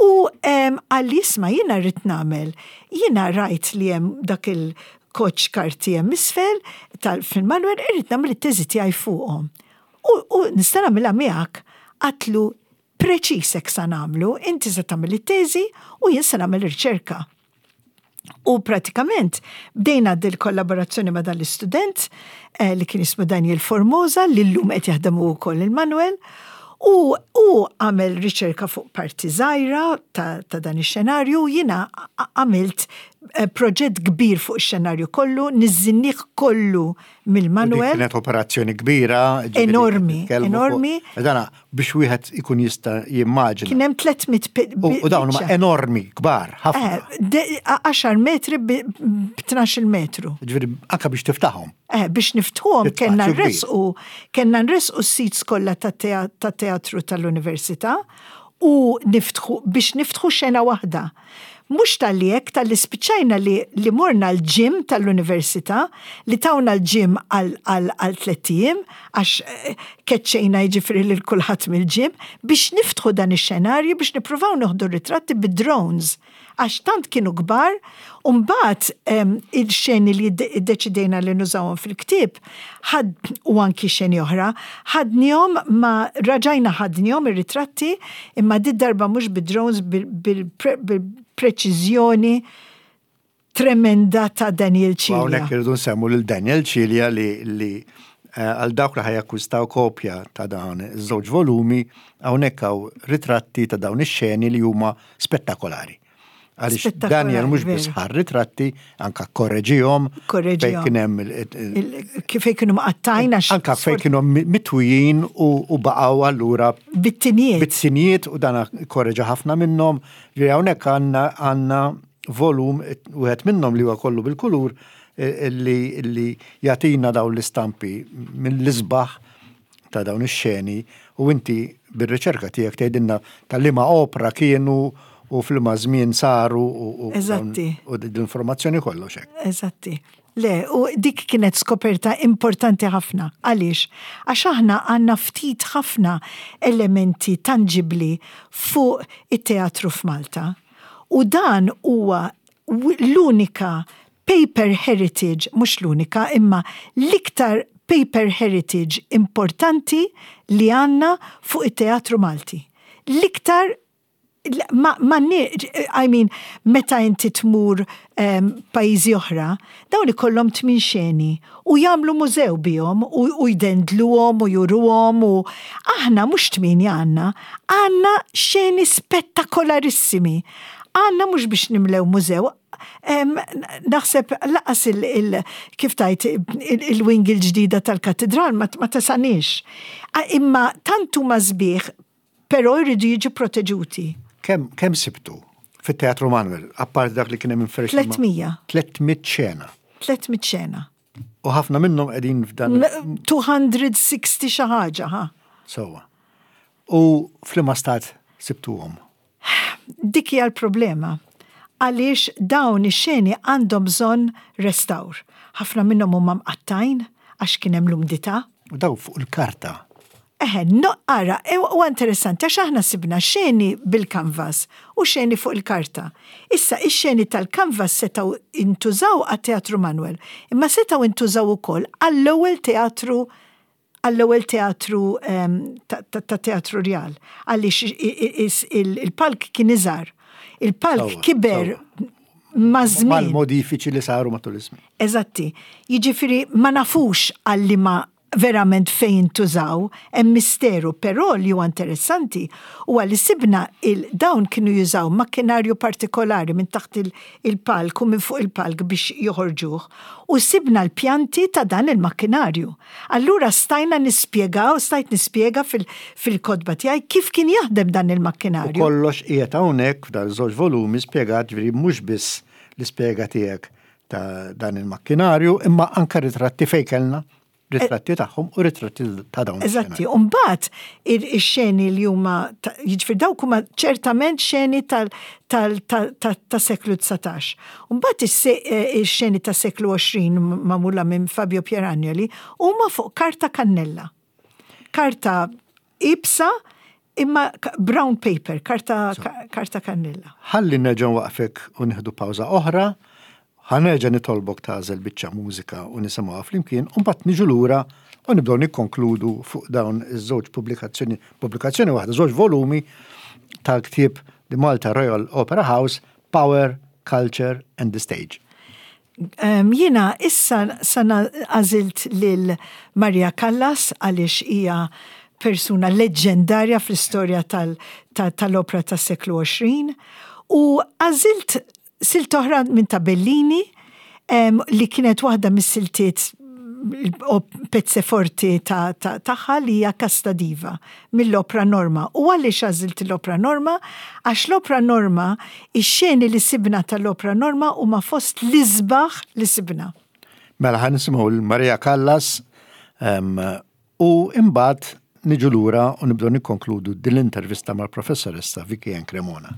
[SPEAKER 2] U qalli isma' jiena rrid nagħmel, jiena rajt li hemm dak il-koċċ karti hemm isfel fil-Manuel, irrid nagħmel it-teżi tiegħi fuqhom. U nista' nagħmilha miegħek? Għadtlu Preċiż hekk sa nagħmlu, inti se tagħmel it-teżi u jien se nagħmel riċerka. U pratikament bdejna dil-kollaborazzjoni ma' dan l-istudent eh, li kien jismu Daniel Formosa li llum qed jaħdem u wkoll il-Manuel. U hu għamel riċerka fuq parti żgħira ta', ta dan ix-xenarju, jiena għamilt eh, proġett kbir fuq ix-xenarju kollu, niżżinnih kollu mill-Manuel.
[SPEAKER 1] Kienet operazzjoni kbira.
[SPEAKER 2] Enormi, enormi.
[SPEAKER 1] Dana biex wieħed ikun jista' jimmaġina.
[SPEAKER 2] Kien hemm 300
[SPEAKER 1] U dawn huma enormi, kbar, ħafna.
[SPEAKER 2] 10 eh, metri b'12 metru.
[SPEAKER 1] Ġifieri anke biex tiftaħhom.
[SPEAKER 2] Eh, biex niftħuhom kellna nresqu kellna nresqu s-seats kollha tat-teatru tal-università u niftħu biex niftħu xena waħda. Mhux talli hekk, talli spiċċajna li li morna l-gym tal-università, li tawna l-gym għal għal għal tlett ijiem, għax keċċejna jiġifieri lil kulħadd mill-gym, biex niftħu dan ix-xenarju biex nippruvaw nieħdu r-ritratti bid-drones, għax tant kienu kbar, u mbagħad il-xeni li ddeċidejna li nużawhom fil-ktieb, ħad u anki xeni oħra, ħadnihom ma raġajna ħadnihom ir-ritratti imma did-darba mhux bid-drones bil-preċiżjoni tremenda ta' Daniel Cilia.
[SPEAKER 1] Hawnhekk irridu nsemmu lil Daniel Cilia li li eh, għal dawk li ħajakkwistaw kopja ta' dawn iż-żewġ volumi hawnhekk hawn ritratti ta' dawn ix-xeni li huma spettakolari. Għaliex Daniel mhux biss ħar ritratti, anka korreġihom.
[SPEAKER 2] Korreġihom.
[SPEAKER 1] Kien hemm
[SPEAKER 2] kif kienu mqattajn
[SPEAKER 1] għax. Anka fejn kienu mitwijin u baqgħu allura.
[SPEAKER 2] Bit-tinijiet.
[SPEAKER 1] Bit-tinijiet u dan korreġa ħafna minnhom. Ġifieri hawnhekk għandna għandna volum wieħed minnhom li huwa kollu bil-kulur eh, li jagħtina dawn l-istampi mill-isbaħ ta' dawn ix-xeni u inti bir-riċerka tiegħek tgħidilna ta' liema opra kienu u f'liema żmien saru u
[SPEAKER 2] Eżatti.
[SPEAKER 1] u l-informazzjoni kollox hekk.
[SPEAKER 2] Eżatti. Le, u dik kienet skoperta importanti ħafna. Għaliex? Għax aħna għandna ftit ħafna elementi tanġibbli fuq it-teatru f'Malta. U dan huwa l-unika paper heritage, mhux l-unika, imma l-iktar paper heritage importanti li għandna fuq it-teatru Malti. L-iktar ma, ma I mean, meta inti tmur um, pajjiżi oħra, dawn ikollhom tmin xeni u jagħmlu mużew bihom u, u jdendluhom u juruhom u aħna mhux tmienja għandna, għandna xeni spettakolarissimi. Għandna mhux biex nimlew mużew, Naħseb laqas il kif tajt il-wing il-ġdida tal-katedral ma tasanix. Imma tant huma sbieħ, però jridu jiġu proteġuti.
[SPEAKER 1] Kemm sibtu fit-Teatru Manuel, apparti dak li kien hemm
[SPEAKER 2] inferx? 300.
[SPEAKER 1] 300 xena.
[SPEAKER 2] 300 xena.
[SPEAKER 1] U ħafna minnhom qegħdin f'dan.
[SPEAKER 2] 260 xi ħaġa, ha.
[SPEAKER 1] Sewwa. U f'liema stat sibtuhom?
[SPEAKER 2] Dik hija l-problema. Għaliex dawn ix-xeni għandhom bżonn restawr. Ħafna minnhom huma mqattgħin għax kien hemm l-umdità.
[SPEAKER 1] U dawn fuq il-karta.
[SPEAKER 2] Eħe, no, ara, e, huwa interessanti għax aħna sibna xeni bil-kanvas u xeni fuq il-karta. Issa, ix-xeni tal-kanvas setgħu intużaw għat-Teatru Manuel, imma setgħu intużaw ukoll għall-ewwel teatru għall-ewwel teatru ta' Teatru Rjal, għaliex il-palk kien iżgħar. Il-palk kiber maż-żmien.
[SPEAKER 1] Mal-modifiċi li saru matul iż-żmien.
[SPEAKER 2] Eżatti. Jiġifieri ma nafux għal liema verament fejn intużaw, hemm misteru, però li huwa interessanti huwa li sibna il dawn kienu jużaw makkinarju partikolari minn taħt il-palk u minn fuq il-palk biex joħorġuh u sibna l-pjanti ta' dan il-makkinarju. Allura stajna nispjegaw, stajt nispjega fil-kotba tiegħi kif kien jaħdem dan il-makkinarju.
[SPEAKER 1] U kollox qiegħed hawnhekk f'dan iż-żewġ volumi spjegat, ġifieri mhux biss l-ispjega tiegħek ta' dan il-makkinarju, imma anke ritratti fejn kellna ritratti tagħhom u ritratti ta' dawn.
[SPEAKER 2] Eżatti, u mbagħad ix-xeni li huma jiġifieri dawk huma ċertament xeni ta' seklu 19. U mbagħad ix-xeni ta' seklu 20 magħmula minn Fabio Pieragnoli huma fuq karta kannella. Karta iebsa imma brown paper, karta karta kannella.
[SPEAKER 1] Ħalli nerġa' nwaqfek u nieħdu pawża oħra. Ħa nerġa' nitolbok tagħżel biċċa mużika u nisimgħuha flimkien u mbagħad niġu lura u nibdew nikkonkludu fuq dawn iż-żewġ pubblikazzjoni, pubblikazzjoni waħda, żewġ volumi tal-ktieb The Malta Royal Opera House, Power, Culture and the Stage.
[SPEAKER 2] Jiena issa sana għażilt lil Maria Callas għaliex hija persuna leġġendarja fl-istorja tal-opra tas-seklu 20. U għażilt silt oħra minn ta' Bellini li kienet waħda mis-siltiet pezze forti tagħha li hija Casta Diva mill-opra Norma. U għaliex għażilt l-opra Norma? Għax l-opra Norma, ix-xeni li sibna tal-opra Norma huma fost l-isbaħ li sibna.
[SPEAKER 1] Mela ħa nisimgħu lil Maria Callas u imbagħad niġu lura u nibdew nikkonkludu din l-intervista mal-professoressa Vicky Ann Cremona.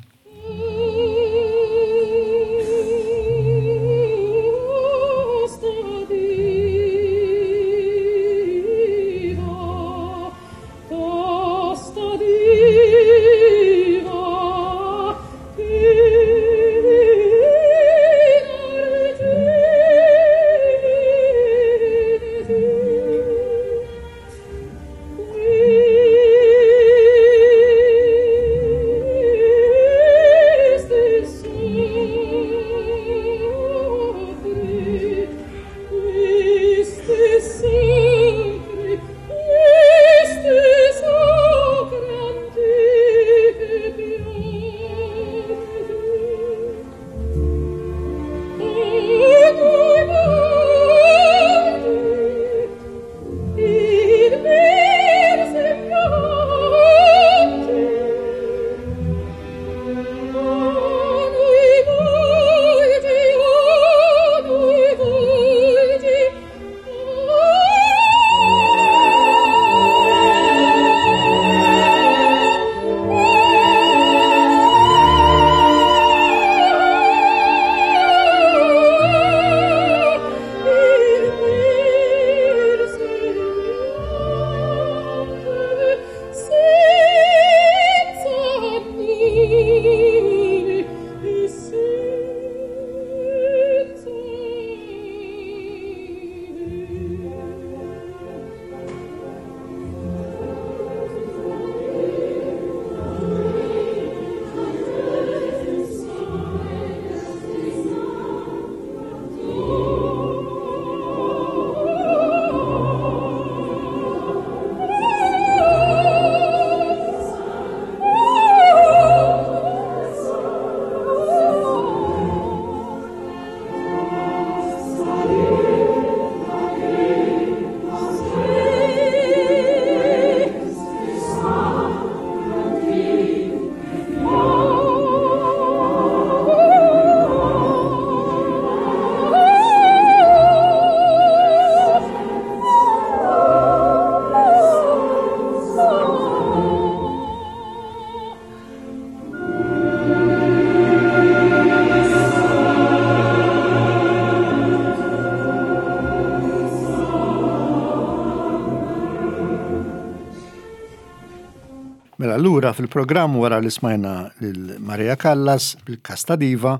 [SPEAKER 1] Mela lura fil-programm wara li smajna lil Maria Callas bil-Casta Diva,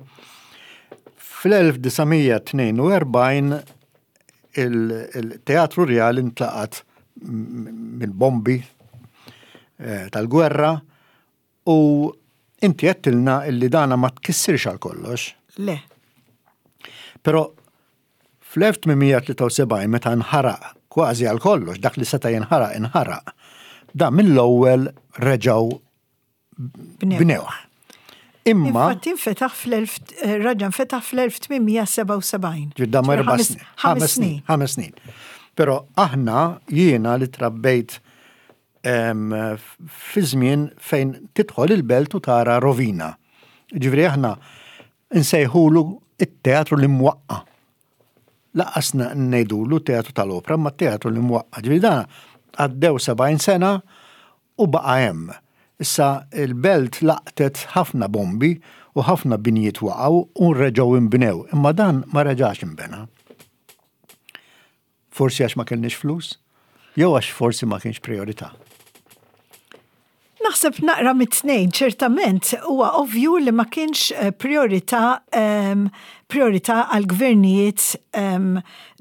[SPEAKER 1] fl-1942 il-Teatru Rjal intlaqat mill-bombi eh, tal-gwerra U inti għedtilna illi dana ma tkissirx għal kollox.
[SPEAKER 2] Le.
[SPEAKER 1] Però fl-1873 meta nħaraq kważi għal kollox, dak li seta' jinħaraq inħaraq, da mill-ewwel reġgħu bnewh.
[SPEAKER 2] Imma. Infatti nfetaħ fl-elf, eh, raġa nfetaħ fl-1877.
[SPEAKER 1] Ġidda ma erba' snin. Ħames snin. Ħames snin. Però aħna jiena li trabbejt fi żmien fejn tidħol il-belt u tara rovina. Ġifieri aħna nsejħulu it-teatru li mwaqqa. Laqqas ngħidulu teatru tal-opra, ma teatru li mwaqqa. Ġifieri dan għaddew 70 sena u baqa' hemm. Issa il-belt laqtet ħafna bombi u ħafna binjiet waqgħu u reġgħu inbnew, imma dan ma reġax inbena. Forsi għax ma kellniex flus? Jew għax forsi ma kienx priorità?
[SPEAKER 2] Naħseb naqra mit-tnejn, ċertament huwa ovvju li ma kienx eh, priorità um, priorità għal gvernijiet um,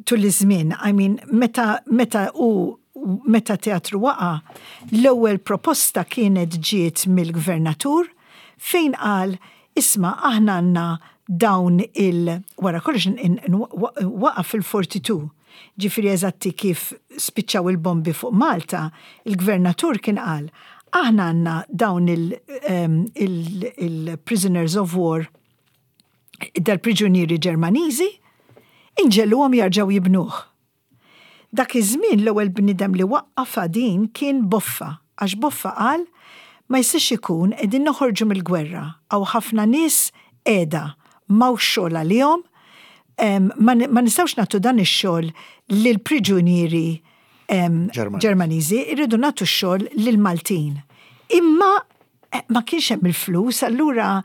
[SPEAKER 2] tul iż-żmien. I mean, meta, meta u meta teatru waqa, l-ewwel proposta kienet ġiet mill-gvernatur fejn qal isma' aħna għandna dawn il wara kollox waqa fil-42. Ġifieri eżatti kif spiċċaw il-bombi fuq Malta, il-gvernatur kien qal, aħna għandna dawn il-prisoners of war, dal-priġunieri Ġermaniżi, inġegħluhom jarġgħu jibnuh. Dak iż-żmien l-ewwel bniedem li waqqafha din kien Boffa, għax Boffa qal, ma jistax ikun qegħdin noħorġu mill-gwerra, hawn ħafna nies qiegħda, m'hawnx xogħol għalihom, ma nistgħux nagħtu dan ix-xogħol lill-priġunieri Ġermaniżi, irridu nagħtu x-xogħol lill-Maltin. Imma ma kienx hemm il-flus, allura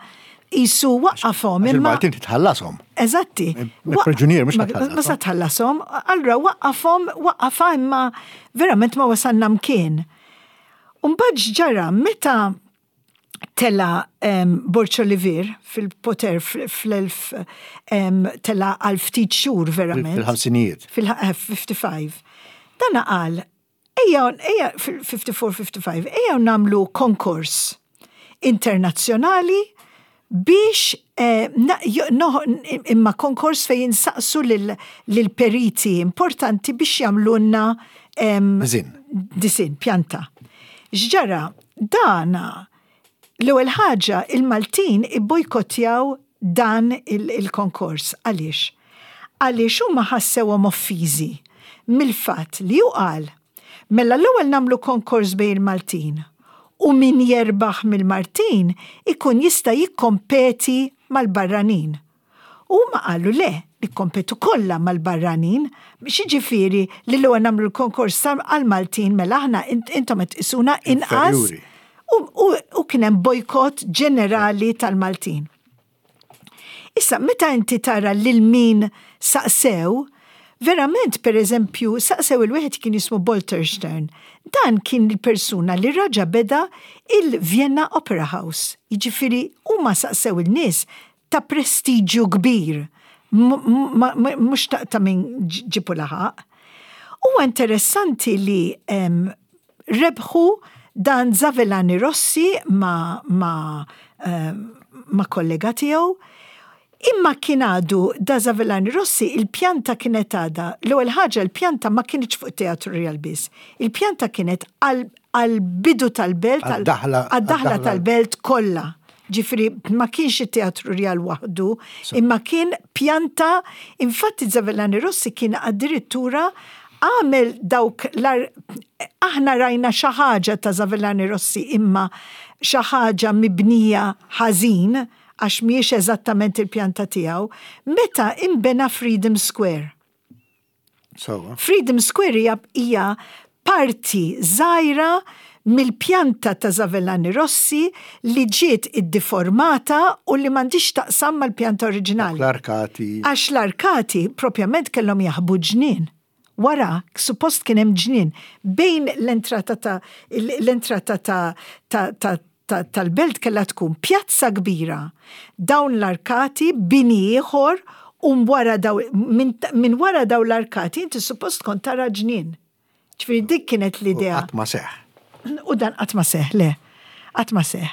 [SPEAKER 2] qisu waqqafhom.
[SPEAKER 1] Imma il-Maltin titħallasom.
[SPEAKER 2] Eżatti.
[SPEAKER 1] Il-priġunier mhux
[SPEAKER 2] Ma sa tħallasom, allura waqqafhom, waqqafha imma verament ma wasalna mkien. Mbagħad ġara meta tela Borg Olivier fil-poter fl-elf tela għal ftit xhur verament.
[SPEAKER 1] Fil-ħamsinijiet.
[SPEAKER 2] Fil-55. Dana qal, ejja, ejja, fil-54-55, ejja nagħmlu konkors internazzjonali biex imma konkors fejn insaqsu lil periti importanti biex jagħmlulna
[SPEAKER 1] Disin.
[SPEAKER 2] Disin, pjanta. X'ġara, dana l-ewwel ħaġa il-Maltin ibbojkottjaw dan il-konkors. Għaliex? Għaliex huma ħassewhom offiżi mill-fatt li hu qal mela l-ewwel nagħmlu konkors bejn il-Maltin u min jerbaħ mill-Maltin ikun jista' jikkompeti mal-barranin. U huma qalu le, nikkompetu kollha mal-barranin, biex jiġifieri li l-ewwel nagħmlu l-konkors għall-Maltin mela aħna intom qed tqisuna inqas. U kien hemm bojkott ġenerali tal-Maltin. Issa, meta inti tara lil min saqsew, verament, per eżempju, saqsew il-wieħed kien jismu Bolterstern. Dan kien il-persuna li raġa beda il-Vienna Opera House. Jiġifieri huma saqsew il-nies ta' prestiġju kbir, mhux ta' min ġibu laħaq. Huwa interessanti li rebħu dan Zavelani Rossi ma kollega tiegħu. Imma kien għadu da Zavelani Rossi il-pjanta kienet għada. L-ewwel ħaġa l-pjanta ma kienx fuq Teatru Real biss. Il-pjanta kienet għal-bidu tal-belt, għad-daħla tal-belt kollha. Ġifieri, ma kienx it-Teatru Real waħdu, imma kien pjanta, infatti Zavelani Rossi kien addirittura għamel dawk aħna rajna xi ħaġa ta' Zavelani Rossi imma xi ħaġa mibnija ħażin għax mhijiex eżattament il-pjanta tiegħu, meta imbena Freedom Square. Freedom Square hija parti żgħira mill-pjanta ta' Zavelani Rossi li ġiet iddiformata u li m'għandix taqsam mal-pjanta oriġinali.
[SPEAKER 1] L-arkati.
[SPEAKER 2] Għax l-arkati propjament kellhom jaħbu ġnien. Wara, suppost kien hemm ġnien bejn l-entrata ta' tal-belt kellha tkun pjazza kbira. Dawn l-arkati bini ieħor u wara daw minn wara daw l-arkati inti suppost kont tara ġnien. Ġifieri dik kienet l-idea.
[SPEAKER 1] Qatt ma seħ.
[SPEAKER 2] U dan qatt ma seħ, le. Qatt ma seħ.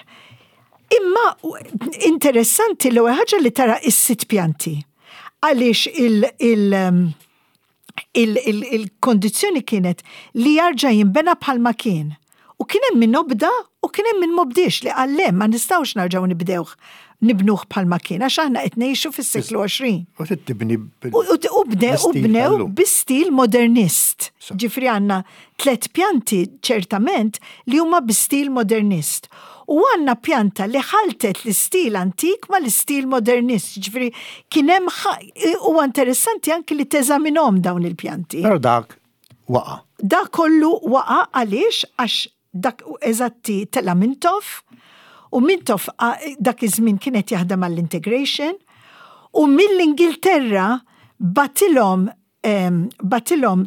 [SPEAKER 2] Imma interessanti l-ewwel ħaġa li tara is-sitt pjanti. Għaliex il-kondizzjoni kienet li jarġa' jinbena bħalma kien. U kien hemm min obda u kien hemm min m'obdiex li qal le ma nistgħux nerġgħu nibdewh nibnuh bħalma kien għax aħna qed ngħixu fis-seklu 20.
[SPEAKER 1] U tibni
[SPEAKER 2] U bnew bi stil modernist. Ġifieri għandna tlet pjanti ċertament li huma bi stil modernist. U għandna pjanta li ħaltet l-istil antik ma l-istil modernist. Ġifieri kien hemm huwa interessanti anki li teżaminhom dawn il-pjanti.
[SPEAKER 1] Però dak waqa.
[SPEAKER 2] Dak kollu waqa għaliex għax dak eżatti tela Mintoff u Mintoff dak iż-żmien kienet jaħdem għall-integration u mill-Ingilterra bagħtilhom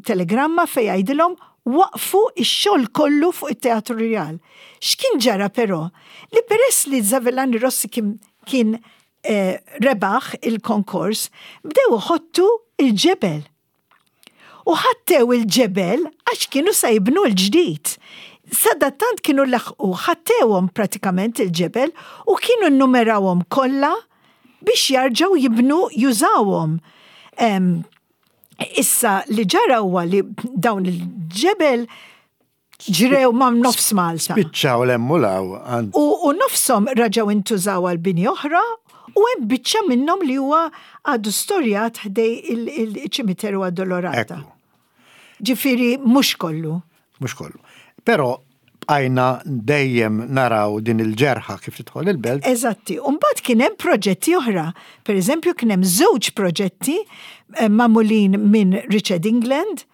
[SPEAKER 2] telegramma fej jgħidilhom waqfu ix-xogħol kollu fuq it-Teatru Real. X'kien ġara però? Li peress li Zavelani Rossi kien rebaħ il-konkors, bdew iħottu il-ġebel. U ħattew il-ġebel għax kienu sa jibnu l-ġdid. Sadattant kienu laħqu ħattewhom pratikament il-ġebel u kienu nnumerawhom kollha biex jarġgħu jibnu jużawhom. Issa li ġara huwa li dawn il-ġebel ġrew ma' nofs Malta.
[SPEAKER 1] Spiċċaw l-hemm u law.
[SPEAKER 2] U nofshom raġgħu intużaw għal bini oħra u hemm biċċa minnhom li huwa għadu storjat ħdej il-ċimiteru Addolorata. Ġifieri mhux kollu.
[SPEAKER 1] Mhux kollu. Però bqajna dejjem naraw din il-ġerħa kif tidħol il-belt.
[SPEAKER 2] Eżatti. U mbagħad kien hemm proġetti oħra. Per eżempju kien hemm żewġ proġetti eh, magħmulin minn Richard England,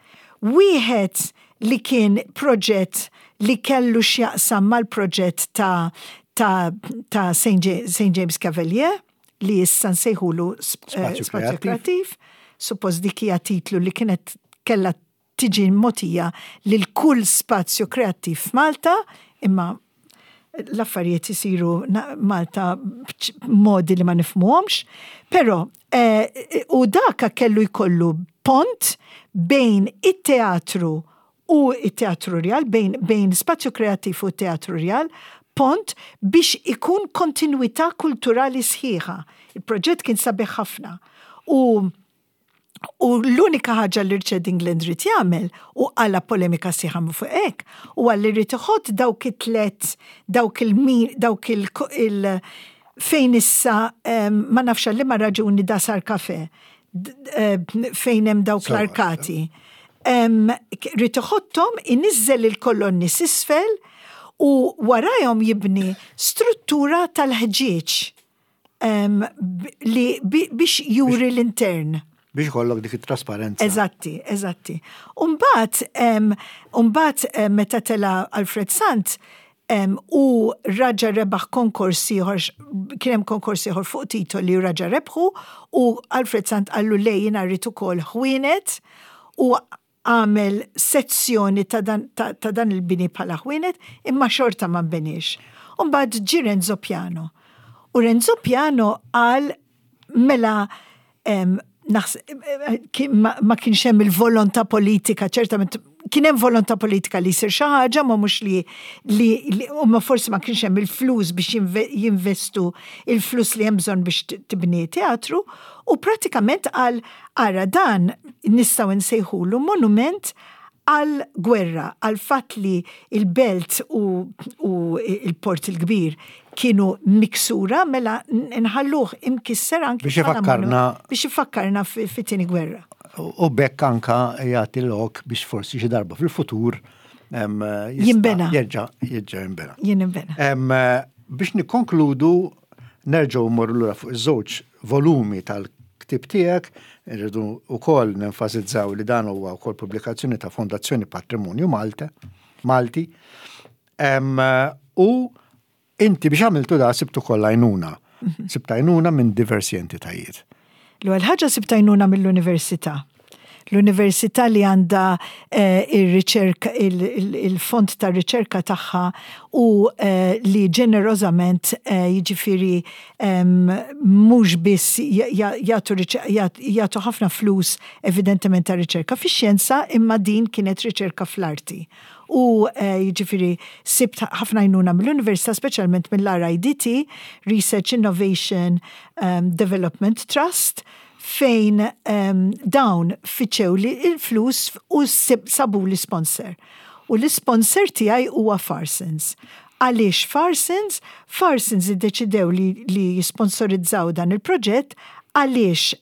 [SPEAKER 2] wieħed li kien proġett li kellu x'jaqsam mal-proġett ta' ta' ta' St. James Cavalier li issa nsejħulu eh, Spazju Kreattiv. Suppost dik hija titlu li kienet kellha tiġi mogħtija lil kull spazju kreattiv f'Malta, imma l-affarijiet isiru Malta b'modi li ma nifhmuhomx, però eh, u daka kellu jkollu pont bejn it-teatru u it-teatru rjal, bejn, bejn spazju kreattiv u teatru rjal, pont biex ikun kontinuità kulturali sħiħa. Il-proġett kien sabiħ ħafna. U U l-unika ħaġa li Richard England ried jagħmel u qala polemika sieħa minn fuq hekk huwa li ried iħott dawk it-tlet dawk il dawk il, il fejn issa ma nafx għal liema raġuni da sar kafe fejn hemm dawk l-arkati. Ried iħotthom iniżżel il-kolonni s'isfel u warajhom jibni struttura tal-ħġieġ li biex juri l-intern.
[SPEAKER 1] Biex ikollok dik it-trasparenza.
[SPEAKER 2] Eżatti, eżatti. Umbat, umbat meta tela Alfred Sant, u raġa rebaħ konkors ieħor, kien hemm konkors ieħor fuq titoli u raġa rebħu u Alfred Sant qallu le jiena rrid ukoll ħwienet u għamel sezzjoni ta' dan, ta, ta dan il-bini bħala ħwienet, imma xorta ma nbeniex. U mbagħad ġie Renzo Piano. U Renzo Piano qal mela em, naħs, ma, ma kienx hemm il-volontà politika, ċertament kien hemm volontà politika li jsir xi ħaġa, ma mhux li li, li u ma forsi ma kienx hemm il-flus biex jinvestu il-flus li hemm bżonn biex tibni teatru, u pratikament qal Ara dan nistgħu nsejħulu monument għall-gwerra, għall-fatt li l-belt u, u l-Port il-Kbir kienu miksura, mela nħalluh imkisser anki
[SPEAKER 1] biex ifakkarna
[SPEAKER 2] biex ifakkarna fit-tieni gwerra.
[SPEAKER 1] U bekk anka jagħti lok biex forsi xi darba fil-futur
[SPEAKER 2] jinbena.
[SPEAKER 1] Jerġa' jerġa' jinbena.
[SPEAKER 2] Jinbena.
[SPEAKER 1] Biex nikkonkludu nerġgħu mmorru lura fuq iż-żewġ volumi tal-ktieb tiegħek, irridu wkoll nenfasizzaw li dan huwa wkoll pubblikazzjoni ta' Fondazzjoni Patrimonju Malta, Malti. U inti biex għamiltu da sibtu koll għajnuna. Mhm. Sibt għajnuna minn diversi entitajiet.
[SPEAKER 2] L-ewwel ħaġa sibt għajnuna mill-università. L-università li għandha eh, ir-riċerka il-fond ta' riċerka tagħha u eh, li ġenerożament eh, jiġifieri mhux biss jagħtu ħafna flus evidentement ta' riċerka fix-xjenza imma din kienet riċerka fl-arti. U jiġifieri sibt ħafna għajnuna mill-Università, speċjalment mill-RIDT, Research Innovation Development Trust, fejn dawn fittxewli l-flus u sabuli sponsor. U l-isponsor tiegħi huwa Farsons. Għaliex Farsons? Farsons iddeċidew li, li jisponsorizzaw dan il-proġett għaliex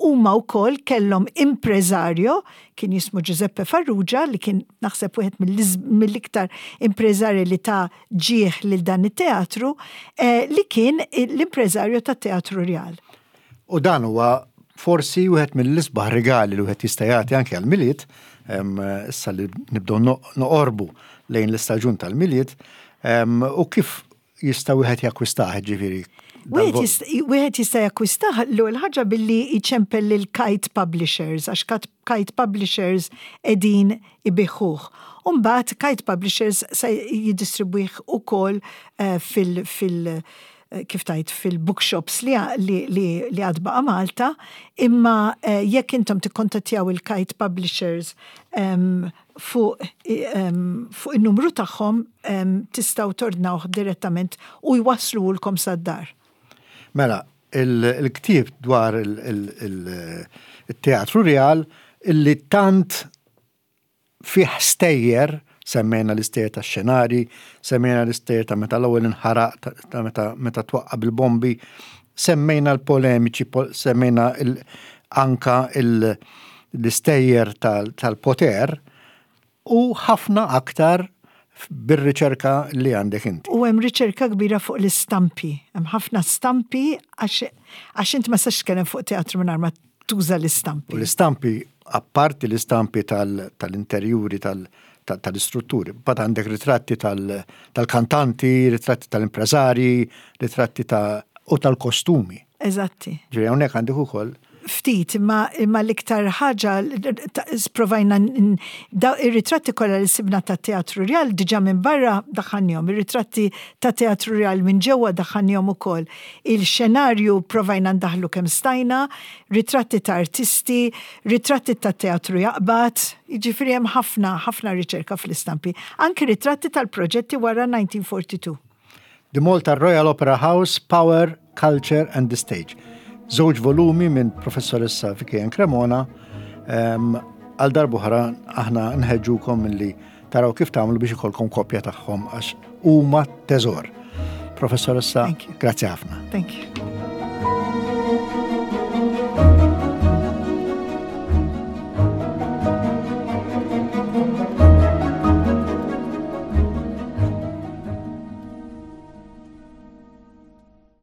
[SPEAKER 2] huma wkoll kellhom impreżarjo kien jismu Giuseppe Farrugia li kien naħseb wieħed mill-iktar impreżarji li ta ġieħ lil dan it-teatru eh, li kien l-impreżarju tat-Teatru Rjal.
[SPEAKER 1] U dan huwa forsi wieħed mill-isbaħ rigali li wieħed jista' jagħti anke għall-Milied, issa li nibdew noqorbu lejn l-istaġun tal-Milied, u kif jista' wieħed jakkwistah ġifieri.
[SPEAKER 2] Wieħed jista' jakkwistah l-ewwel ħaġa billi jċempel lil Kite Publishers għax Kite Publishers qegħdin ibiħuh. U mbagħad Kite Publishers se jiddistribwih ukoll eh, fil- fil- kif tgħid fil-bookshops li li li għad baqa' Malta, imma eh, jekk intom tikkontattjaw il-Kite Publishers fuq fuq in-numru tagħhom tistgħu tordnawh direttament u jwasslulkom sad-dar.
[SPEAKER 1] Mela, il-ktieb dwar il-Teatru Rjal. illi tant fih stejjer, semmejna l-istejjer tax-xenarji, semmejna l-istejjer ta' meta l-ewwel inħaraq, ta' meta meta twaqqa' bil-bombi, semmejna l-polemiċi, semmejna anka l-istejjer tal-poter u ħafna aktar bir-riċerka li għandek inti.
[SPEAKER 2] U hemm riċerka kbira fuq l-istampi. Hemm ħafna stampi għax int ma sax tkellem fuq teatru mingħajr ma tuża l-istampi.
[SPEAKER 1] U l-istampi, apparti l-istampi tal-interjuri tal-istrutturi, bad għandek ritratti tal-kantanti, ritratti tal-impreżarji, ritratti ta' u tal-kostumi.
[SPEAKER 2] Eżatti.
[SPEAKER 1] Ġifieri hawnhekk għandek ukoll
[SPEAKER 2] Ftit, imma imma l-iktar ħaġa sprovajna ir-ritratti kollha li sibna ta' Teatru Rjal diġà minn barra daħħalnihom, ir-ritratti ta' Teatru Rjal minn ġewwa daħħalnihom ukoll. Il-xenarju provajna ndaħħlu kemm stajna, ritratti ta' artisti, ritratti ta' teatru jaqbad, jiġifieri hemm ħafna ħafna riċerka fl-istampi. Anki ritratti tal-proġetti wara 1942.
[SPEAKER 1] The Malta Royal Opera House, Power, Culture and the Stage. Żewġ volumi minn Professoressa Vicky Ann Cremona. Għal darb'oħra aħna nħeġġukom milli taraw kif tagħmlu biex ikollkom kopja tagħhom għax huma teżor. Professoressa, grazzi ħafna.
[SPEAKER 2] Thank you.